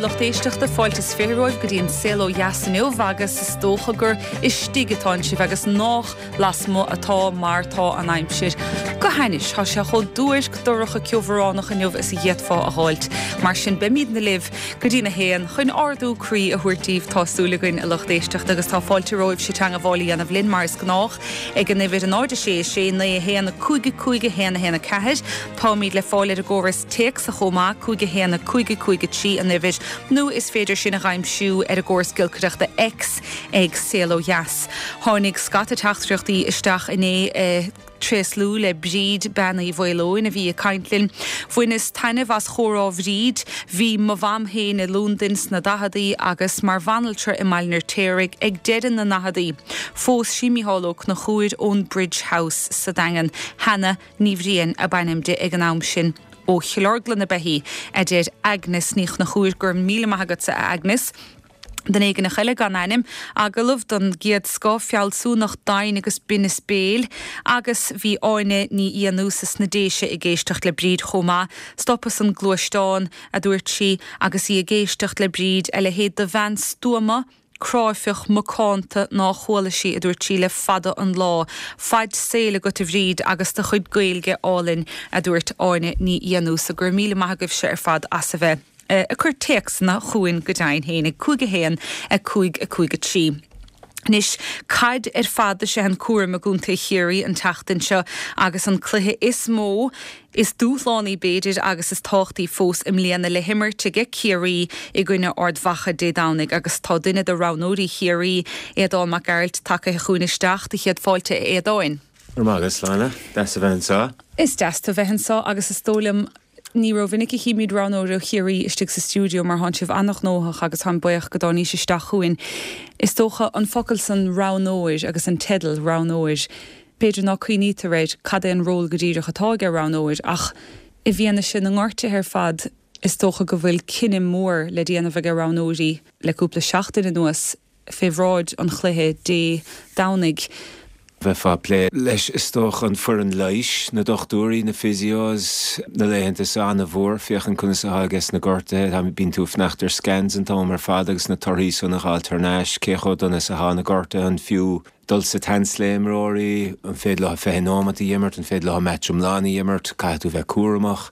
lucht éisteachta, fáilte is 20 romhaibh go dtí an Saol Ó Dheas inniu agus is dócha gur istigh atánn sibh agus nách lasmuigh atá mar tá an aimsir go hainnis. Tá sé chomh duairc, dorcha, ceobhránach inniu is a d'fhéadfá a dh'fháilt. Mar sin beimídne libh go dtí'n a haon chun ardú croí a thabhairt daoibh, tá súil againn, a lucht éisteachta, agus tá fáilte romhaibhse teangabháil a dhéanamh linn mar is gnách ag an uimhir 0 6 6 9 1 5 5 1 1 4. Táimid le fáil ar an gcóras téacsa chomh maith, 5 1 5 5 3 an uimhir, nó is féidir sinn a dh'aimsiú ar an gcóras giolcaireachta X ag Saol Ó Dheas. Tháinig scata teachtaireachtaí isteach inné ag tréaslú le Bríd, Bean Uí Mhaoileoin, a bhí ag caint linn. Bhaineas taitneamh as chomhrá Bhríd. Bhí mo mham féin i Londain sna daicheadaí agus mar bhanaltra i mBaile an Fheirtéaraigh ag deireadh na ndaicheadaí. Phós sí Mícheál Ó Conchúir ón Bridge House sa Daingean. Hannah Ní Bhriain ab ainm di ag an am sin. Ó Chill Orglan ab ea í, a deir Agnes Ní Chonchúir. Go raibh míle maith agatsa, a Agnes. Duine éigineach eile gan ainm, agallamh den gcéad scoth, fealsúnacht, doimhin agus binneas béil. Agus bhí Áine Ní Fhiannúsa sna Déise ag éisteacht le Bríd chomh maith. Stopas an gluaisteán, a dúirt sí, agus í ag éisteacht le Bríd, a leithéid de bhean stuama, cráifeach, macánta ná chuala sí, a dúirt sí, le fada an lá. Faid saoil agat a Bhríd agus do chuid Gaeilge álainn, a dúirt Áine Ní Fhiannúsa. Go raibh míle maith agaibhse ar fad as a bheith ag cur téacsanna chugainn go deimhin féin ag 5 1 5 5 3. Anois, caid ar fad is ea an cúram i gContae Chiarraí an tseachtain seo agus an cluiche is mó, is dúshlánaí b'fhéidir agus is tábhachtaí fós i mbliana le himirt aige Ciarraí i gcoinne Ard Mhacha Dé Domhnaigh agus tá duine de roghnóirí Chiarraí, Aodán Mac Gearailt, tagaithe chugainn isteach. Do chéad fáilte a Aodáin. Go raibh maith agat, Sláine. Deas a bheith anseo. Is deas tú bheith anseo agus is dóigh liom ní rómhinic a chímid roghnóir ó Chiarraí istigh sa stiúideo mar thánn sibh an-ghnóthach agus táim buíoch go dtáinís isteach chugainn. Is dócha an focal san roghnóir agus an teideal roghnóir, B'fhéidir ná cuimhnítear air cad é an ról go díreach atá aige roghnóir ach i bhfianaise na ngortuithe ar fad is dócha go bhfuil cinneadh mór le déanamh aige roghnóirí le cúpla seachtain anuas fé bhráid an chluiche Dé Domhnaigh. Bheifeá ag plé leis is dócha, an foireann leighis, na dochtúirí, na physios, na laethanta seo ana-mhór, féachaint conas atá ages na gortuithe, bíonn tú ag fanacht ar scans an t-am ar fad agus na torthaí san a dh'fháilt thar n-ais, cé chomh dona is atá na gortuithe, an fiú dul sa tseans le imreoirí, an féidir leo 20 nóimeat a dh'imirt, an féidir leo match iomlán a dh'imirt, caithfidh tú bheith cúramach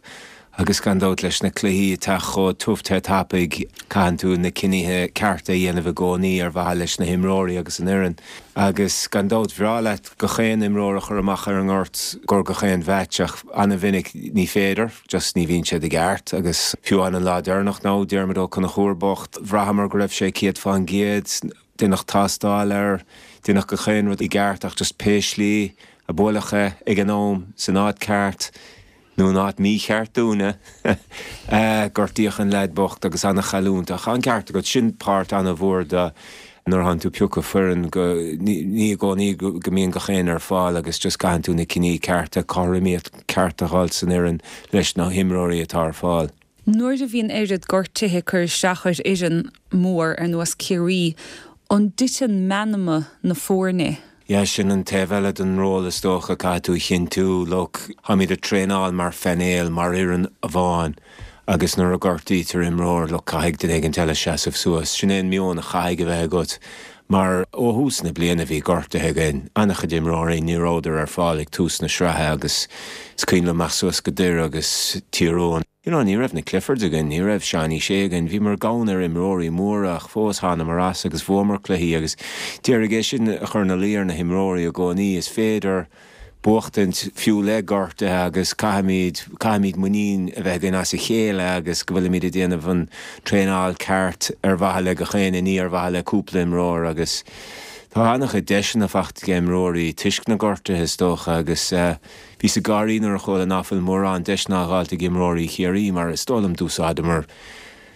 agus gan dabht leis na cluichí ag teacht chomh tiubh te tapaidh, caitheann tú na cinnithe cearta a dhéanamh i gcónaí ar mhaithe leis na himreoirí agus an fhoireann. Agus gan dabht bhreá leat gach aon imreoir a chur amach ar an ngort gor gach aon mheaits ach ana-mhinic ní féidir, just ní bhíonn siad i gceart agus fiú amháin an lá deireanach now, Diarmuid Ó Conchúir bocht, bhraitheamar go raibh sé 100%, Deineadh tástáil air, deineadh gach aon rud i gceart ach just pé slí a buaileadh é ag an am, san áit ceart nó in áit mícheart dúinne, gortaíodh an leaid bocht agus ana-chailliúint. Ach an ceart agat, sin páirt ana-mhór de nuair a thánn tú ag piocadh foireann go, ní i gcónaí go mbíonn gach aon ar fáil agus just caitheann tú na cinní cearta, cothromaíocht ceart a dh'fháilt san fhoireann leis na himreoirí atá ar fáil. Nuair a bhíonn oiread gortuithe ag cur isteach ar fhoireann mór ar nós Ciarraí, an dtiteann meanma na foirne? Yeah, sin an taobh eile den ról is dócha, caithfidh tú a chinntiú, look, táimid ag traenáil mar phainéal, mar fhoireann amháin agus nuair a gortaítear imreoir, look, caithfidh duine éigint eile seasamh suas. Sin é an meon a chaithfidh a bheith agat mar ó thús na bliana bhí gortuithe againn, an-chuid imreoirí, ní rabhadar ar fáil ag tús na sraithe agus is cuimhin liom imeacht suas go Doire agus Tír Eoghain. You know, ní raibh na Cliffords againn, ní raibh Seánie Shea againn, bhíomar gann ar imreoirí móra ach fós thánamar as agus bhuamar cluichí agus d'iarraidh é sin a chur ina luí ar na himreoirí i gcónaí, is féidir buachtaint fiú le gortuithe agus caithfimid, caithfimid muinín a bheith againn as a chéile agus go bhfuilimid ag déanamh an traenáil ceart ar mhaithe le gach éinne, ní ar mhaithe le cúpla imreoir agus tá an-chuid deiseanna faighte ag imreoirí toisc na gortuithe is dócha agus. Bhíos ag gáirí nuair a chuala ná fuil mórán deiseanna á dh'fháilt ag imreoirí Chiarraí mar is dóigh liom d'úsáideamar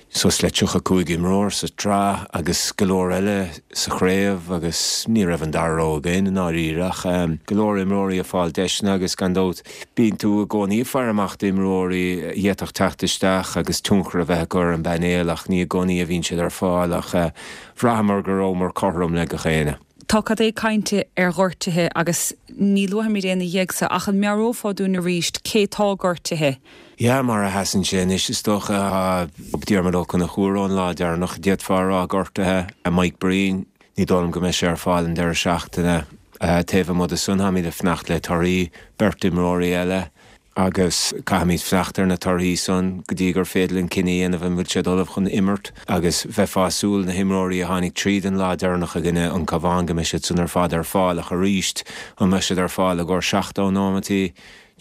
suas le 35 imreoir sa tsraith agus go leor eile sa chraobh agus ní raibh an dara rogha againn i ndáiríre ach go leor imreoirí ag fáil deiseanna agus gan dabht bíonn tú i gcónaí ag faire amach d'imreoirí a d'fhéadfadh teacht isteach agus tionchar a bheith acu ar an bpainéal ach ní i gcónaí a bhíonn siad ar fáil ach bhraitheamar go rabhamar cothrom le gach éinne. Tá cad é cainte ar ghortuithe agus ní luafaimid aon duine ach an meabhrófá dúinn arís cé tá gortaithe? Yeah, mar a sheasann sé anois is dócha tá Diarmuid Ó Conchúir ón lá deireanach, d'fhéadfá a rá, gortaithe. Mike Breen, ní dóigh liom go mbeidh sé ar fáil an deireadh seachtaine. Taobh amuigh de san, táimid ag fanacht le torthaí beirt imreoirí eile agus caithfimid fanacht ar na torthaí san go dtí gur féidir linn cinneadh a dhéanamh an bhfuil siad ullamh chun imirt agus bheifeá ag súil na himreoirí a tháinig tríd an lá deireanach i gcoinne an Cabhán go mbeidh siad san ar fad ar fáil ach arís an mbeidh siad ar fáil i gcomhair 70 nóimeataí,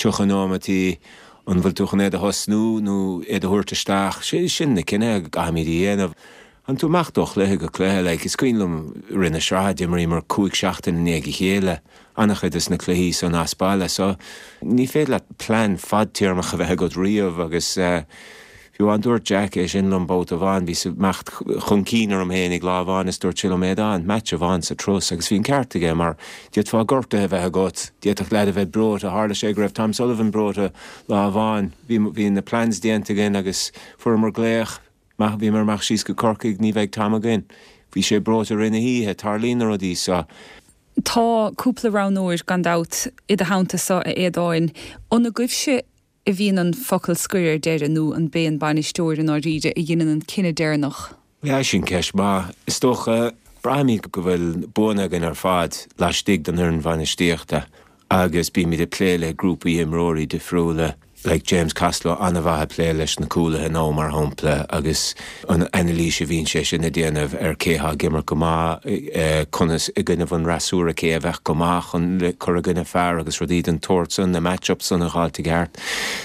30 nóimeataí, an bhfuil tú chun iad a thosnú nó iad a thabhairt isteach, sin na cinnithe a gcaithfimid a dhéanamh. Tá tú ag imeacht ó chluiche go cluiche, like, is cuimhin liom i rith na sraithe d'imríomar 5 seachtain i ndiaidh a chéile, an-chuid des na cluichí san as baile, so ní féidir leat plean fadtéarmach a bheith agat riamh agus eh, fiú amháin dúirt Jack é sin liom babhta amháin, bhíos ag imeacht chun cinn orm féinig lá amháin is dúirt sé liom Aodán, match amháin sa turas agus bhí an ceart aige mar d'fhéadfá gortuithe a bheith agat, d'fhéadfadh leaid a bheith breoite, tharla sé go raibh Tom Sullivan breoite lá amháin, bhí, bhí na plans déanta againn agus fuaireamar glaoch, Maith, bhíomar ag imeacht síos go Corcaigh, ní bheidh Tom againn. Bhí sé breoite i rith na hoíche, tarlaíonn na rudaí seo. Tá cúpla roghnóir, gan dabht, i do theannta-sa, a Aodáin. An agaibhse a bhíonn an focal scoir ar deireadh nó an b'é an bainisteoir i ndáiríre a dheineann an cinneadh deireanach? Yeah, sin ceist mhaith. Is dócha, braithimid go bhfuil buanna againn ar fad laistigh den fhoireann bhainistíochta agus bímid ag plé le grúpaí imreoirí difriúla. Like James Costello an-mhaith ag plé leis na cúlaithe now mar shampla agus an anailís a bhíonn sé sin ag déanamh ar cé thá ag imirt go maith, conas i gcoinnibh an fhreasúra cé a bheadh go maith chun le cur i gcoinne fear agus rudaí den tsórt san, na match-ups san a dh'fháilt i gceart.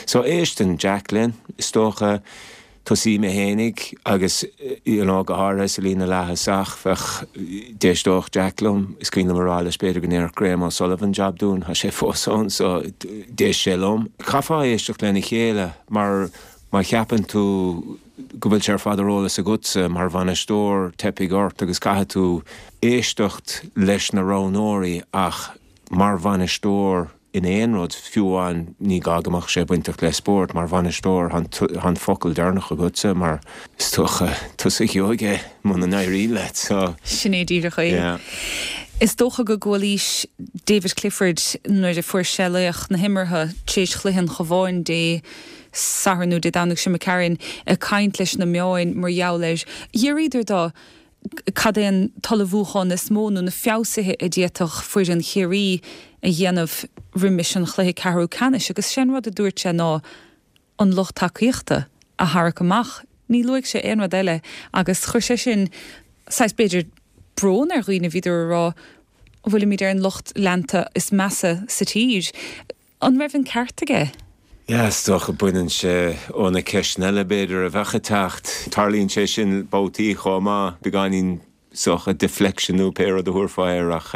So éisteann Jack linn, is dócha. Tosaím mé fhéinig agus you know go háirithe sa líne leath-thosach bheadh, d'éisteodh Jack liom, is cuimhin liom a rá leis b'fhéidir go ndéarfadh Graham O'Sullivan jab dúinn, tá sé fós ann so d'éist sé liom. Chaithfeá éisteacht lena chéile mar má cheapann tú go bhfuil sé ar fad ar eolas agatsa mar bhainisteoir teipfidh ort agus caithfidh tú éisteacht leis na roghnóirí ach mar bhainisteoir in aon rud, fiú amháin, ní gá go mbeadh sé bainteach le spórt, mar bhainisteoir, tá an focal deireanach agatsa mar is dócha tusa a gheobhaidh é muna n-éiríonn leat, so. Sin é díreach é. Yeah. Is dócha go gcualaís David Clifford nuair a fuair sé laoch na himeartha tar éis chluiche an Chabháin Dé Sathairn nó Dé Domhnaigh seo imigh tharainn ag caint leis na meáin mar gheall air. D'fhiafraíodar de Cad é an t-ullmhúchán is mó nó na feabhsuithe a d'fhéadfadh foireann Chiarraí a dhéanamh roimis an chluiche ceathrú ceannais agus sé an rud a dúirt sé ná an lucht tacaíochta a tharrac amach. Ní luaigh sé aon rud eile agus chuir sé sin saghas b'fhéidir brón ar dhaoine, bhíodar ag rá an bhfuilimid ar an lucht leanta is measa sa tír. An raibh an ceart aige? Yeah, is dócha baineann sé ó na ceisteanna eile b'fhéidir a bheadh ag teacht. Tarlaíonn sé sin babhtaí chomh maith, beagáinín is dócha deflection nó pé rud a thabharfá air ach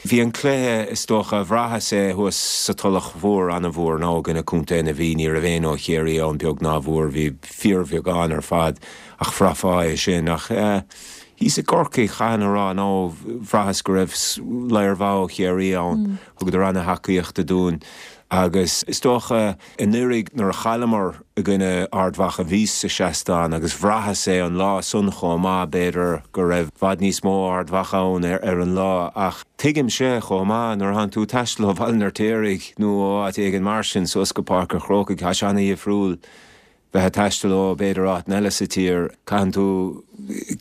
bhí an cluiche is dócha, bhraitheas é thuas sa Tulach Mhór an-mhór now i gcoinne Contae na Mí, ní raibh éinne ó Chiarraí ann beag ná mhór, bhí fíorbheagán ar fad ach bhraithfeá é sin ach thíos i gCorcaigh chaithfinn a rá now bhraitheas go raibh ladhar mhaith ó Chiarraí ann. Thugadar ana-thacaíocht dúinn agus is dócha anuraidh nuair a chailleamar i gcoinne Ard Mhacha bhíos sa seastán agus bhraitheas é an lá san chomh maith, b'fhéidir go raibh bhfad níos mó Ard Mhacha ann ar an lá ach tuigimse chomh maith nuair atánn tú ag taisteal ó Bhaile an Fheirtéaraigh nó ó áit éigin mar sin suas go Páirc an Chrócaigh tá sé ana-dhifriúil. bheith ag taisteal ó b'fhéidir áiteanna eile sa tír, caitheann tú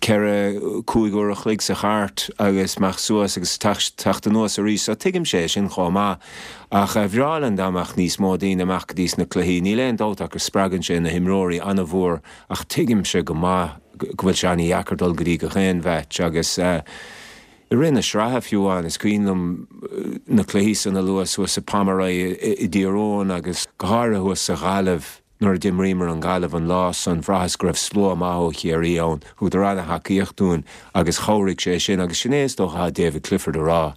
ceithre, cúig uair a chloig sa chairt agus imeacht suas agus teacht anuas arís so tuigimse é sin chomh maith. Ach bhreá linn dá mbeadh níos mó daoine amach go dtí sna cluichí, níl aon dabht ach go spreagann sé na himreoirí an-mhór ach tuigimse go maith go bhfuil sé an-dheacair dul go dtí gach aon mheaits agus i rith na sraithe fiú amháin, is cuimhin liom na cluichí san a lua suas i Pomeroy i dTír Eoghain agus go háirithe thuas sa Ghaillimh. Nuair a d'imríomar an Ghaillimh an lá san, bhraitheas go raibh slua maith ó Chiarraí ann. Thugadar ana-thacaíocht dúinn agus chabhraigh sé sin agus sin é is dócha atá David Clifford a rá.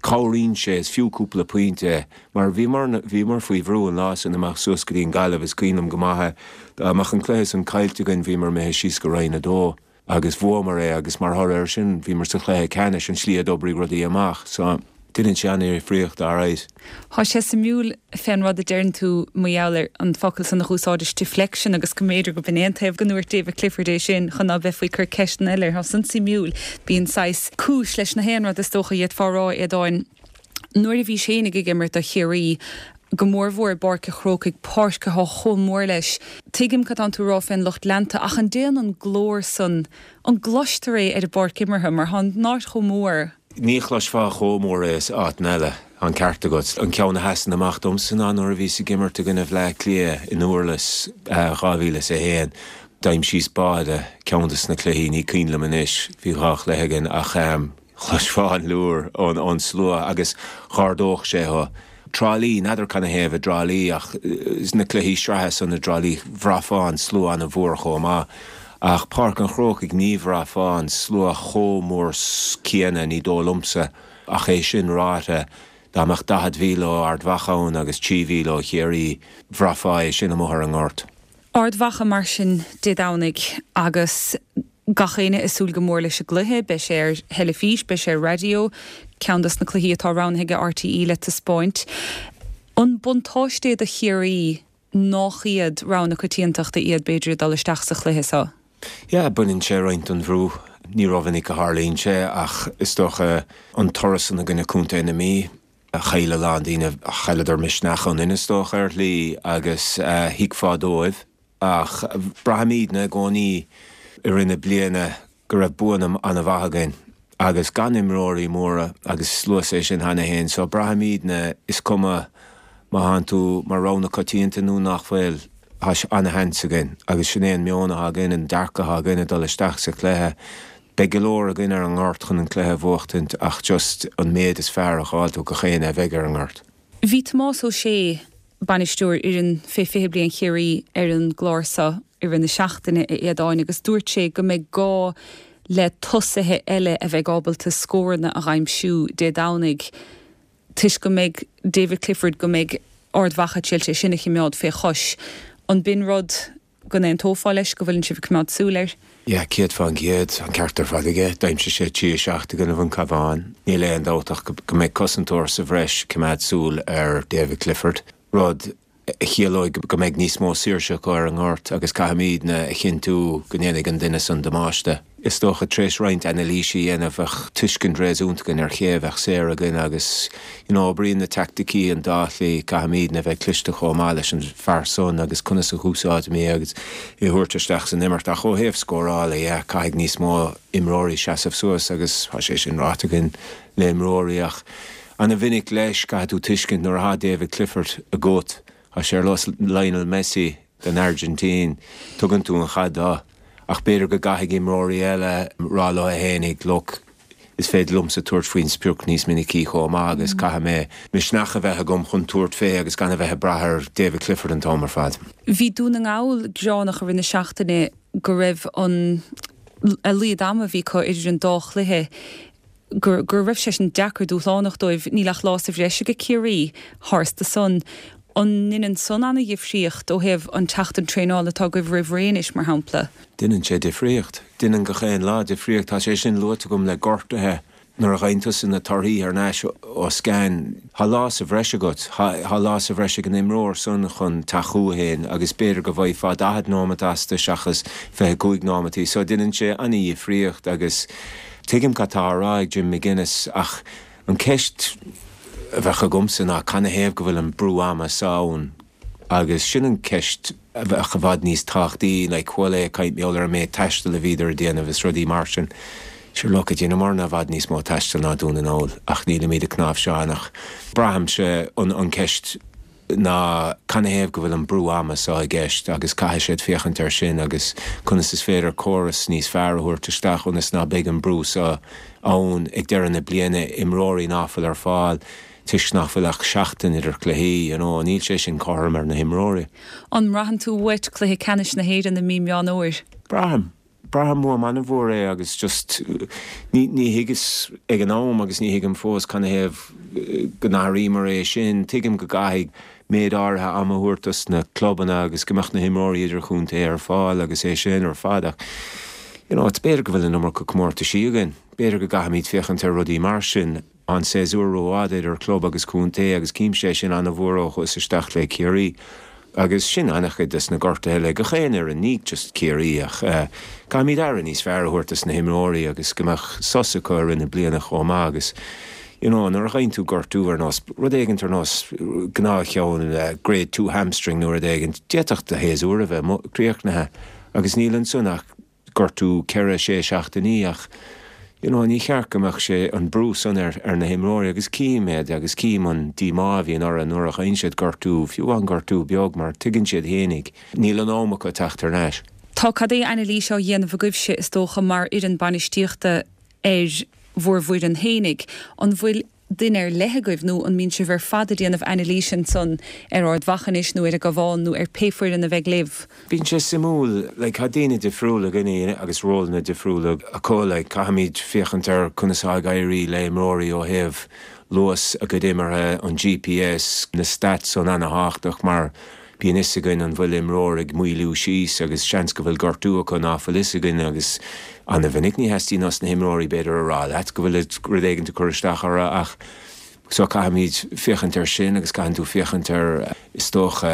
Cabhraíonn sé, is fiú cúpla pointe é, mar bhíomar, bhíomar faoi bhrú an lá san imeacht suas go dtí an Ghaillimh, is cuimhin liom go maith é. Dá mbeadh an cluiche san caillte againn bhíomar imithe síos go Roinn 2 agus bhuamar é agus mar thoradh air sin bhíomar sa chluiche ceannais, an tslí a d'oibrigh rudaí amach. So. Deineann sé an-difríocht, alright. Thá sé suimiúil fén rud a deireann tú mar gheall ar an focal san a dh'úsáidis, deflection, agus go mb'fhéidir go b'in é an taobh go ndúirt David Clifford é sin chun ná beifí ag cur ceisteanna eile air. Thá san suimiúil. Bíonn saghas cúis leis na haon rud is dócha a d'fhéadfá a rá, a Aodáin. Nuair a bhís fhéinig ag imirt do Chiarraí, go mórmhór i bPáirc a' Chrócaigh, páirc athá chomh mór leis, tuigim cad tánn tú a rá fén lucht leanta ach an dtéann an glór san, an gcloistear é ar an bpáirc imeartha mar thá an áit chomh mór? Ní chloisfeá chomh mór é is áiteanna eile, tá an ceart agat. An ceann a sheasann amach domsa ná nuair a bhíos ag imirt i gcoinne Bhleá Cliath i nDurlas 2001. D'aimsíos báide ceann des na cluichí, ní cuimhin liom anois, bhí dhá chluiche againn, ach chloisfeá an liúr ón slua agus dh'ardódh sé thú. Trá Lí, n'fheadar canathaobh i dTrá Lí ach sna cluichí sraithe san i dTrá Lí bhraithfeá an slua ana-mhór chomh maith. Ach Páirc an Chrócaigh ní bhraithfeá an slua chomh mór céanna, ní dóigh liomsa. Ach é sin ráite, dá mbeadh 40,000 ó Ard Mhacha ann agus 3,000 ó Chiarraí, bhraithfeá é sin amuigh ar an ngort. Ard Mhacha mar sin Dé Domhnaigh agus gach éinne ag súil go mór leis an gcluiche. Beidh sé ar theilifís, beidh sé ar raidió, ceann dos na cluichí atá roghnaithe ag RTÉ le taispeáint. An buntáiste é do Chiarraí nách iad rogha na coitiantachta iad b'fhéidir ag dul isteach sa chluiche seo? Yeah, baineann sé roinnt den bhrú. Ní rómhinic a tharlaíonn sé ach is dócha an toradh san i gcoinne Contae na Mí, chaill a lán daoine, chailleadar misneach ionainn is dócha ar shlí agus thuigfeá dóibh. Ach braithimidne i gcónaí i rith na bliana go raibh buanna an-mhaith againn agus gan imreoirí móra agus luas é sin cheana féin so braithimidne is cuma má thánn tú mar rogha na coitianta nó nach bhfuil, tá ana-sheans againn agus sin é an meon atá againn, an dearcadh atá againn ag dul isteach sa chluiche. Beidh go leor againn ar an ngort chun an cluiche a bhuachtaint ach just an méid is fearr a dh'fháilt ó gach éinne a bheidh ar an ngort. Bhí Tomás Ó Sé, bainisteoir fhoireann fé 20 bliain Chiarraí ar an gclár seo i rith na seachtaine, a Aodáin, agus dúirt sé go mbeidh gá le tosaithe eile a bheidh ábalta scóranna a dh'aimsiú Dé Domhnaigh toisc go mbeidh David Clifford, go mbeidh Ard Mhacha ag triail é sin a chimeád fé chois. An b'in rud go n-aontófá leis, go bhfuileann sibh ag coimeád súil air? Yeah, 100%, an ceart ar fad aige. D'aimsigh sé 3 7 i gcoinnibh an Cabhán. Níl aon dabht ach go mbeidh cosantóir sa bhreis ag coimeád súil ar David Clifford, rud a chiallóidh go mbeidh níos mó saoirse acu ar an ngort agus caithfimidne a chinntiú go ndéanfaidh an duine san damáiste. Is dócha, tar éis roinnt anailíse a dhéanamh, bheadh tuiscint réasúnta againn ar ché a bheadh saor againn agus, you know, oibríonn na teaicticí an dá shlí, caithfimidne a bheith cliste chomh maith leis an fear san agus conas a dh'úsáidimid é agus é a thabhairt isteach san imirt. Ach ó thaobh scórála, yeah, caithfidh níos mó imreoirí seasamh suas agus tá sé sin ráite againn le imreoirí ach ana-mhinic leis, caithfidh tú tuiscint nuair atá David Clifford agat, tá sé ar nós Lionel Messi den Airgintín, tugann tú an chaid dó. Ach b'fhéidir go gcaithfidh imreoirí eile rá leo fhéinig, look, is féidir liomsa tabhairt faoin sprioc níos minicí chomh maith agus caithfidh mé misneach a bheith agam chun tabhairt fé agus gan a bheith ag brath ar David Clifford an t-am ar fad. Bhí Dún na nGall gearánach i rith na seachtaine go raibh an a laghad ama a bhí acu idir an dá chluiche go raibh sé sin deacair, dúshlánach dóibh. Níl ach lá sa bhreis ag Ciarraí tharstu san. An ndeineann san ana-dhifríocht ó thaobh an tseachtain traenála atá agaibh roimh ré anois, mar shampla? Deineann sé difríocht. Deineann gach aon lá difríocht. Tá sé sin luaite agam le gortuithe. Nuair a gheibheann tusa na torthaí thar n-ais ó scan, tá lá sa bhreis agat. Tá lá sa bhreis ag an imreoir san chun teacht chucu féin agus b'fhéidir go bhfaighfeá 40 nóimeat astu seachas 25 nóimeataí. So deineann sé ana-dhifríocht agus Tuigim cad tá á rá ag Jim McGuinness ach an ceist a bheadh agamsa ná canathaobh go bhfuil an brú ama seo ann agus sin an ceist a bheadh i bhfad níos tábhachtaí, like chuala é ag caint mar gheall ar an méid taistil a bhíodar ag déanamh is rudaí mar sin. Sure look, dheineamarna i bhfad níos mó taistil ná Dún na nGall ach nílimid ag cnáimhseán ach braithimse an ceist ná canathaobh go bhfuil an brú ama seo i gceist agus caithfidh siad féachaint air sin agus conas is féidir córas níos fearr a thabhairt isteach ionas ná beidh an brú seo ann ag deireadh na bliana, imreoirí ná fuil ar fáil toisc nach bhfuil ach seachtain idir cluichí, you know, níl sé sin cothrom ar na himreoirí. An mbraitheann tú uait cluiche ceannais na hÉireann i mí Meán Fhómhair? Braithim. Braithim uaim an-mhór é agus just ní thuigeas ag an am agus ní thuigim fós canathaobh go n-athraíomar é sin. Tuigim go gcaithfidh méid áirithe ama a thabhairt dos na clubanna agus go mbeadh na himreoirí idirchontae ar fáil agus é sin ar fad ach. you know, b'fhéidir go bhfuil an iomarca comórtaisí againn, b'fhéidir go gcaithfimid féachaint ar rudaí mar sin. An séasúr rófhada idir club agus contae agus címse é sin ana-mhór ó chuas isteach le Ciarraí agus sin ana-chuid des na gortuithe le gach aon fhoireann, ní just Ciarraí ach caithfimid aire níos fearr a thabhairt dos na himreoirí agus go mbeadh sos acu i rith na bliana chomh maith agus you know nuair a fhaigheann tú gortú ar nós rud éigint ar nós gnáthcheann grade 2 hamstring nó rud éigint, d'fhéadfadh do shéasúr a bheith críochnaithe agus níl ansan ach gortú 4, 6 seachtainí ach you know ní cheart go mbeadh sé an brú san ar ar na himreoirí agus cím iad agus cím an díomá a bhíonn orthu nuair a fhaigheann siad gortú, fiú amháin gortú beag mar tuigeann siad fhéinig níl an am acu teacht thar n-ais. Tá cad é anailís á dhéanamh agaibhse is dócha mar fhoireann bainistíochta ar bhur bhfoireann fhéinig. An bhfuil duine ar leith agaibh nó an mbíonn sibh ar fad ag déanamh anailíse ansan ar Ard Mhacha anois nó ar an gCabhán nó ar pé foireann a bheidh libh? Bíonn sé suimiúil, like, tá daoine difriúla againne agus rólanna difriúla acu, like, caithfimid féachaint ar conas atá ag éirí le imreoirí ó thaobh luas a gcuid imeartha, an GPS, na stats san ana-thábhachtach mar Bíonn fhios againn an bhfuil imreoir ag moilliú síos agus seans go bhfuil gortú acu ná fuil fhios againn agus ana-mhinic ní theastaíonn os na himreoirí b'fhéidir a rá leat go bhfuil rud éigint ag cur isteach orthu ach so caithfimid féachaint ar sin agus caitheann tú féachaint ar is dócha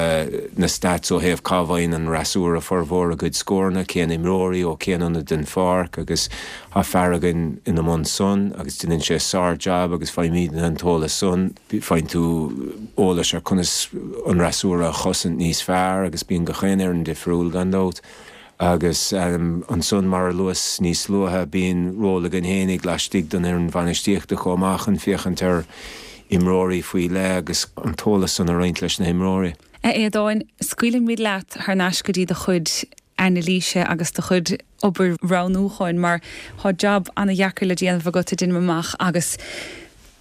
na stats ó thaobh cá bhfaigheann an fhreasúra formhór a gcuid scóranna, cén imreoirí ó cén ionad den pháirc agus tá fear againn ina mbun san agus déanann sé sár-jab agus faighimidne an t-eolas san. Faigheann tú eolas ar conas an fhreasúra a chosaint níos fearr agus bíonn gach aon fhoireann difriúil gan dabht. Agus ansan, mar a luas níos luaithe, bíonn ról againn fhéinig laistigh den fhoireann bhainistíochta chomh maith chun féachaint ar imreoirí faoi leith agus an t-eolas san a roinnt leis na himreoirí. A Aodáin, scaoilfidh muid leat thar n-ais go dtí do chuid anailíse agus do chuid obair roghnúcháin mar tá jab ana-dheacair le déanamh agat, a deinim amach, agus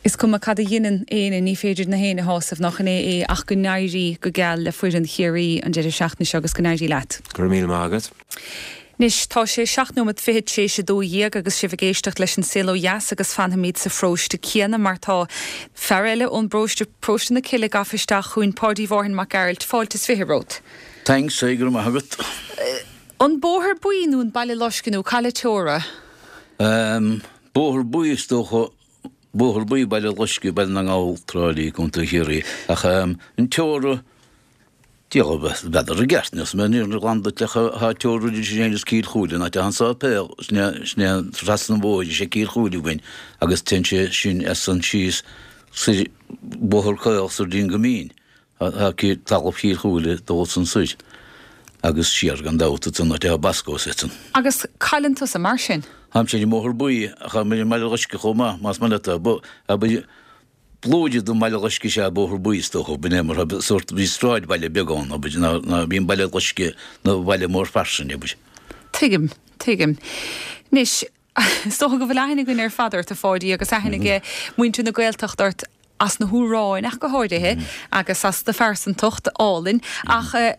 is cuma cad a dheineann éinne, ní féidir na héinne a shásamh, nach in é é, ach go n-éirí go geal le foireann Chiarraí an deireadh seachtaine seo agus go n-éirí leat. Go raibh míle maith agat. Anois, tá sé seacht nóiméad fichead tar éis 12 agus sibh ag éisteacht leis an Saol Ó Dheas agus fanfaimid sa pharóiste céanna mar tá fear eile ón bparóiste, Paróiste na Cille, gafa isteach chugainn, Páidí Mhárthain Mac Gearailt. Fáilte is fiche romhat. Thanks, go raibh maith agat. An Bóthar Buí nó an Baile Loiscthe nó cá bhfuil teora? Bóthar Buí is dócha, Bóthar Buí, Baile Loiscthe, Baile na nGall, Trá Lí, Contae Chiarraí. Ach an teora, diabhal n'fheadar i gceart, níl 's mé níor ghlan duit ach tá teora idir sin agus Cill Chúile, an áit atá an sáipéal, sin é, sin é trasna an bhóthair, is é Cill Chúile againn agus téann sé sin as san síos soir Bóthar Caol soir dtí an Coimín. Tá talamh Chill Chúile dul san soir agus siar gan dabht ansan áit atá Bosco's ansan. Agus cá bhfuileann tusa mar sin? Táimse ar an mBóthar Buí ach táim ar an mBaile Loiscthe chomh maith, más maith leat é. Blúire den mBaile Loiscthe is ea Bóthar Buí is dócha, b'in é mar tá sórt, bhí sráidbhaile beag ann, abair, ná bhí an Baile Loiscthe ina bhaile mór fairsing, abair. Tuigim, tuigim. Anois, Is dócha go bhfuil aithne againn ar fad ort, a Pháidí, agus aithne ag muintir na Gaeltachta ort as na hamhráin ach go háirithe, agus as do phearsantacht álainn. Ach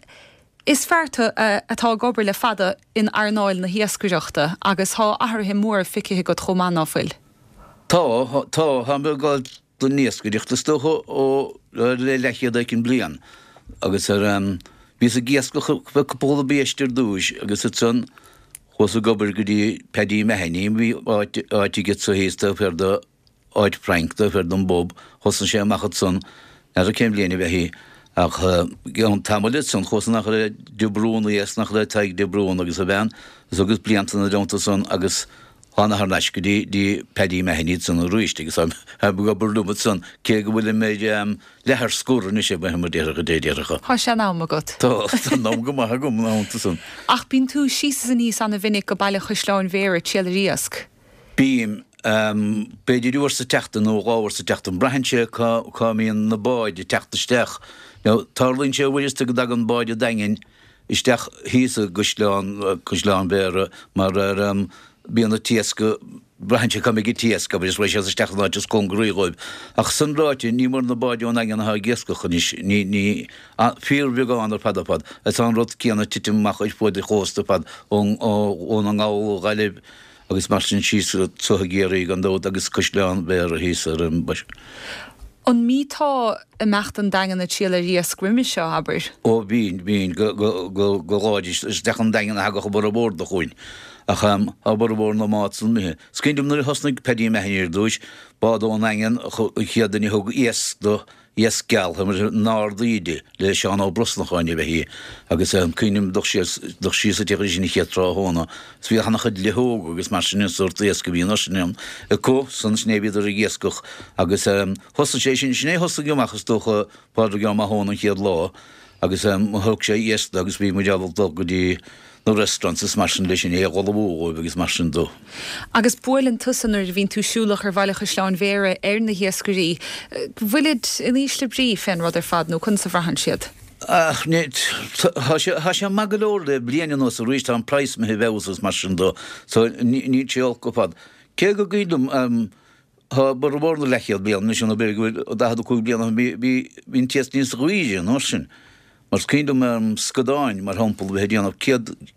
is fear tú atá ag obair le fada in earnáil na hiascaireachta agus tá athruithe móra feicthe agat chomh maith, ná fuil? Tá, tá. Táim ag dul don iascaireacht is dócha ó le leathchéad éicint bliain agus ar bhíos ag iascach cúpla biaiste ar dtúis agus ansan chuas ag obair go dtí Paddy Mahony bhí áit áit aige so thíos taobh thiar de áit Frank taobh thiar den bpub thosnaigh sé amach ansan n'fheadar cén bhliain a bheith í ach i gceann tamaill ansan chuas in achar le De Brún thíos in achar le Tadhg De Brún agus a bhean agus thugas blianta ina dteannta san agus Thána thar n-ais go dtí dtí Paddy Mahony ansan arís agus táim ag obair liom ansan cé go bhfuilim ar leath ar scor anois ag mar déarfadh a déarfadh. Tá sean-am agat. Tá, tá an am go maith agam ina theannta san. Ach bíonn tú síos is aníos ana-mhinic go Baile Chaisleáin Bhéarra ag triall ar iasc. Bím. B'fhéidir uair sa tseachtain nó dhá uair sa tseachtain. Braitheann sé cá cá mbíonn na báid ag teacht isteach. Now tarlaíonn sé uaireanta go dtagann báid an Daingin isteach thíos i gCaisleán, Caisleán Bhéarra mar ar bíonn an t-iasc, braitheann sé cá mbeidh an t-iasc agus raghaidh siad isteach san áit is cóngaraí dhóibh. Ach san ráite, ní mór na báid ón nDaingean atá ag iascach anois, ní, ní, fíorbheagán ar fad ar fad. Is tá an rud céanna ag titim amach ar fuaid an chósta ar fad, ón, ó Dhún na nGall, ó Ghaillimh agus mar sin síos go i gCiarraí gan dabht agus Caisleán Bhéarra thíos ar an. An mbíteá. imeacht don Daingean ag triall ar iasc roimis seo, abair? Ó bhínn, bhínn, go, go, go, go láidir, isteach an Daingean a thagadh a bhformhór de chugainn. Ach tá a bhformhór na mbád san imithe. Is cuimhin liom nuair a thosnaigh Paddy Mahony ar dtúis, bád ón nDaingean an chéad duine a thug iasc do, Iasc geal, an Ard Íde le Seán Ó Brosnacháin ab ea í agus cuimhním dul síos, dul síos an teach sin an chéad tráthnóna is bhí ana-chuid luitheoga agus mar sin an sórt iasc a bhí an uair sin ann acu san, sin é a bhíodar ag iascach agus thosaigh sé sin, sin é a thosaigh amach is dócha Pádraig Ó Mathúna an chéad lá agus thug sé iasc agus bhí muid ábalta dul go dtí na restaurants is mar sin leis sin é a dh'ullmhú dhóibh agus mar sin dó. Agus buaileann tusa nuair a bhíonn tú siúlach ar Bhaile Chaisleáin Bhéarra ar na hiascairí, bhfuilid in ísle brí fén rud ar fad nó conas a bhraitheann siad? Ach ní, tá sé, tá sé maith go leor le bliain anuas arís, tá an praghas imithe i bhfeabhas agus mar sin dó, so níl sé olc ar fad. Cé go gcuimhin liom, tá borradh mór na leathchéad bliain anois nó b'fhéidir go bhfuil 45 bliain ó shin, bhí, bhí, bhí an t-iasc níos daoire an uair sin. Mar is cuimhin liom scadáin, mar shampla, a bheith ag déanamh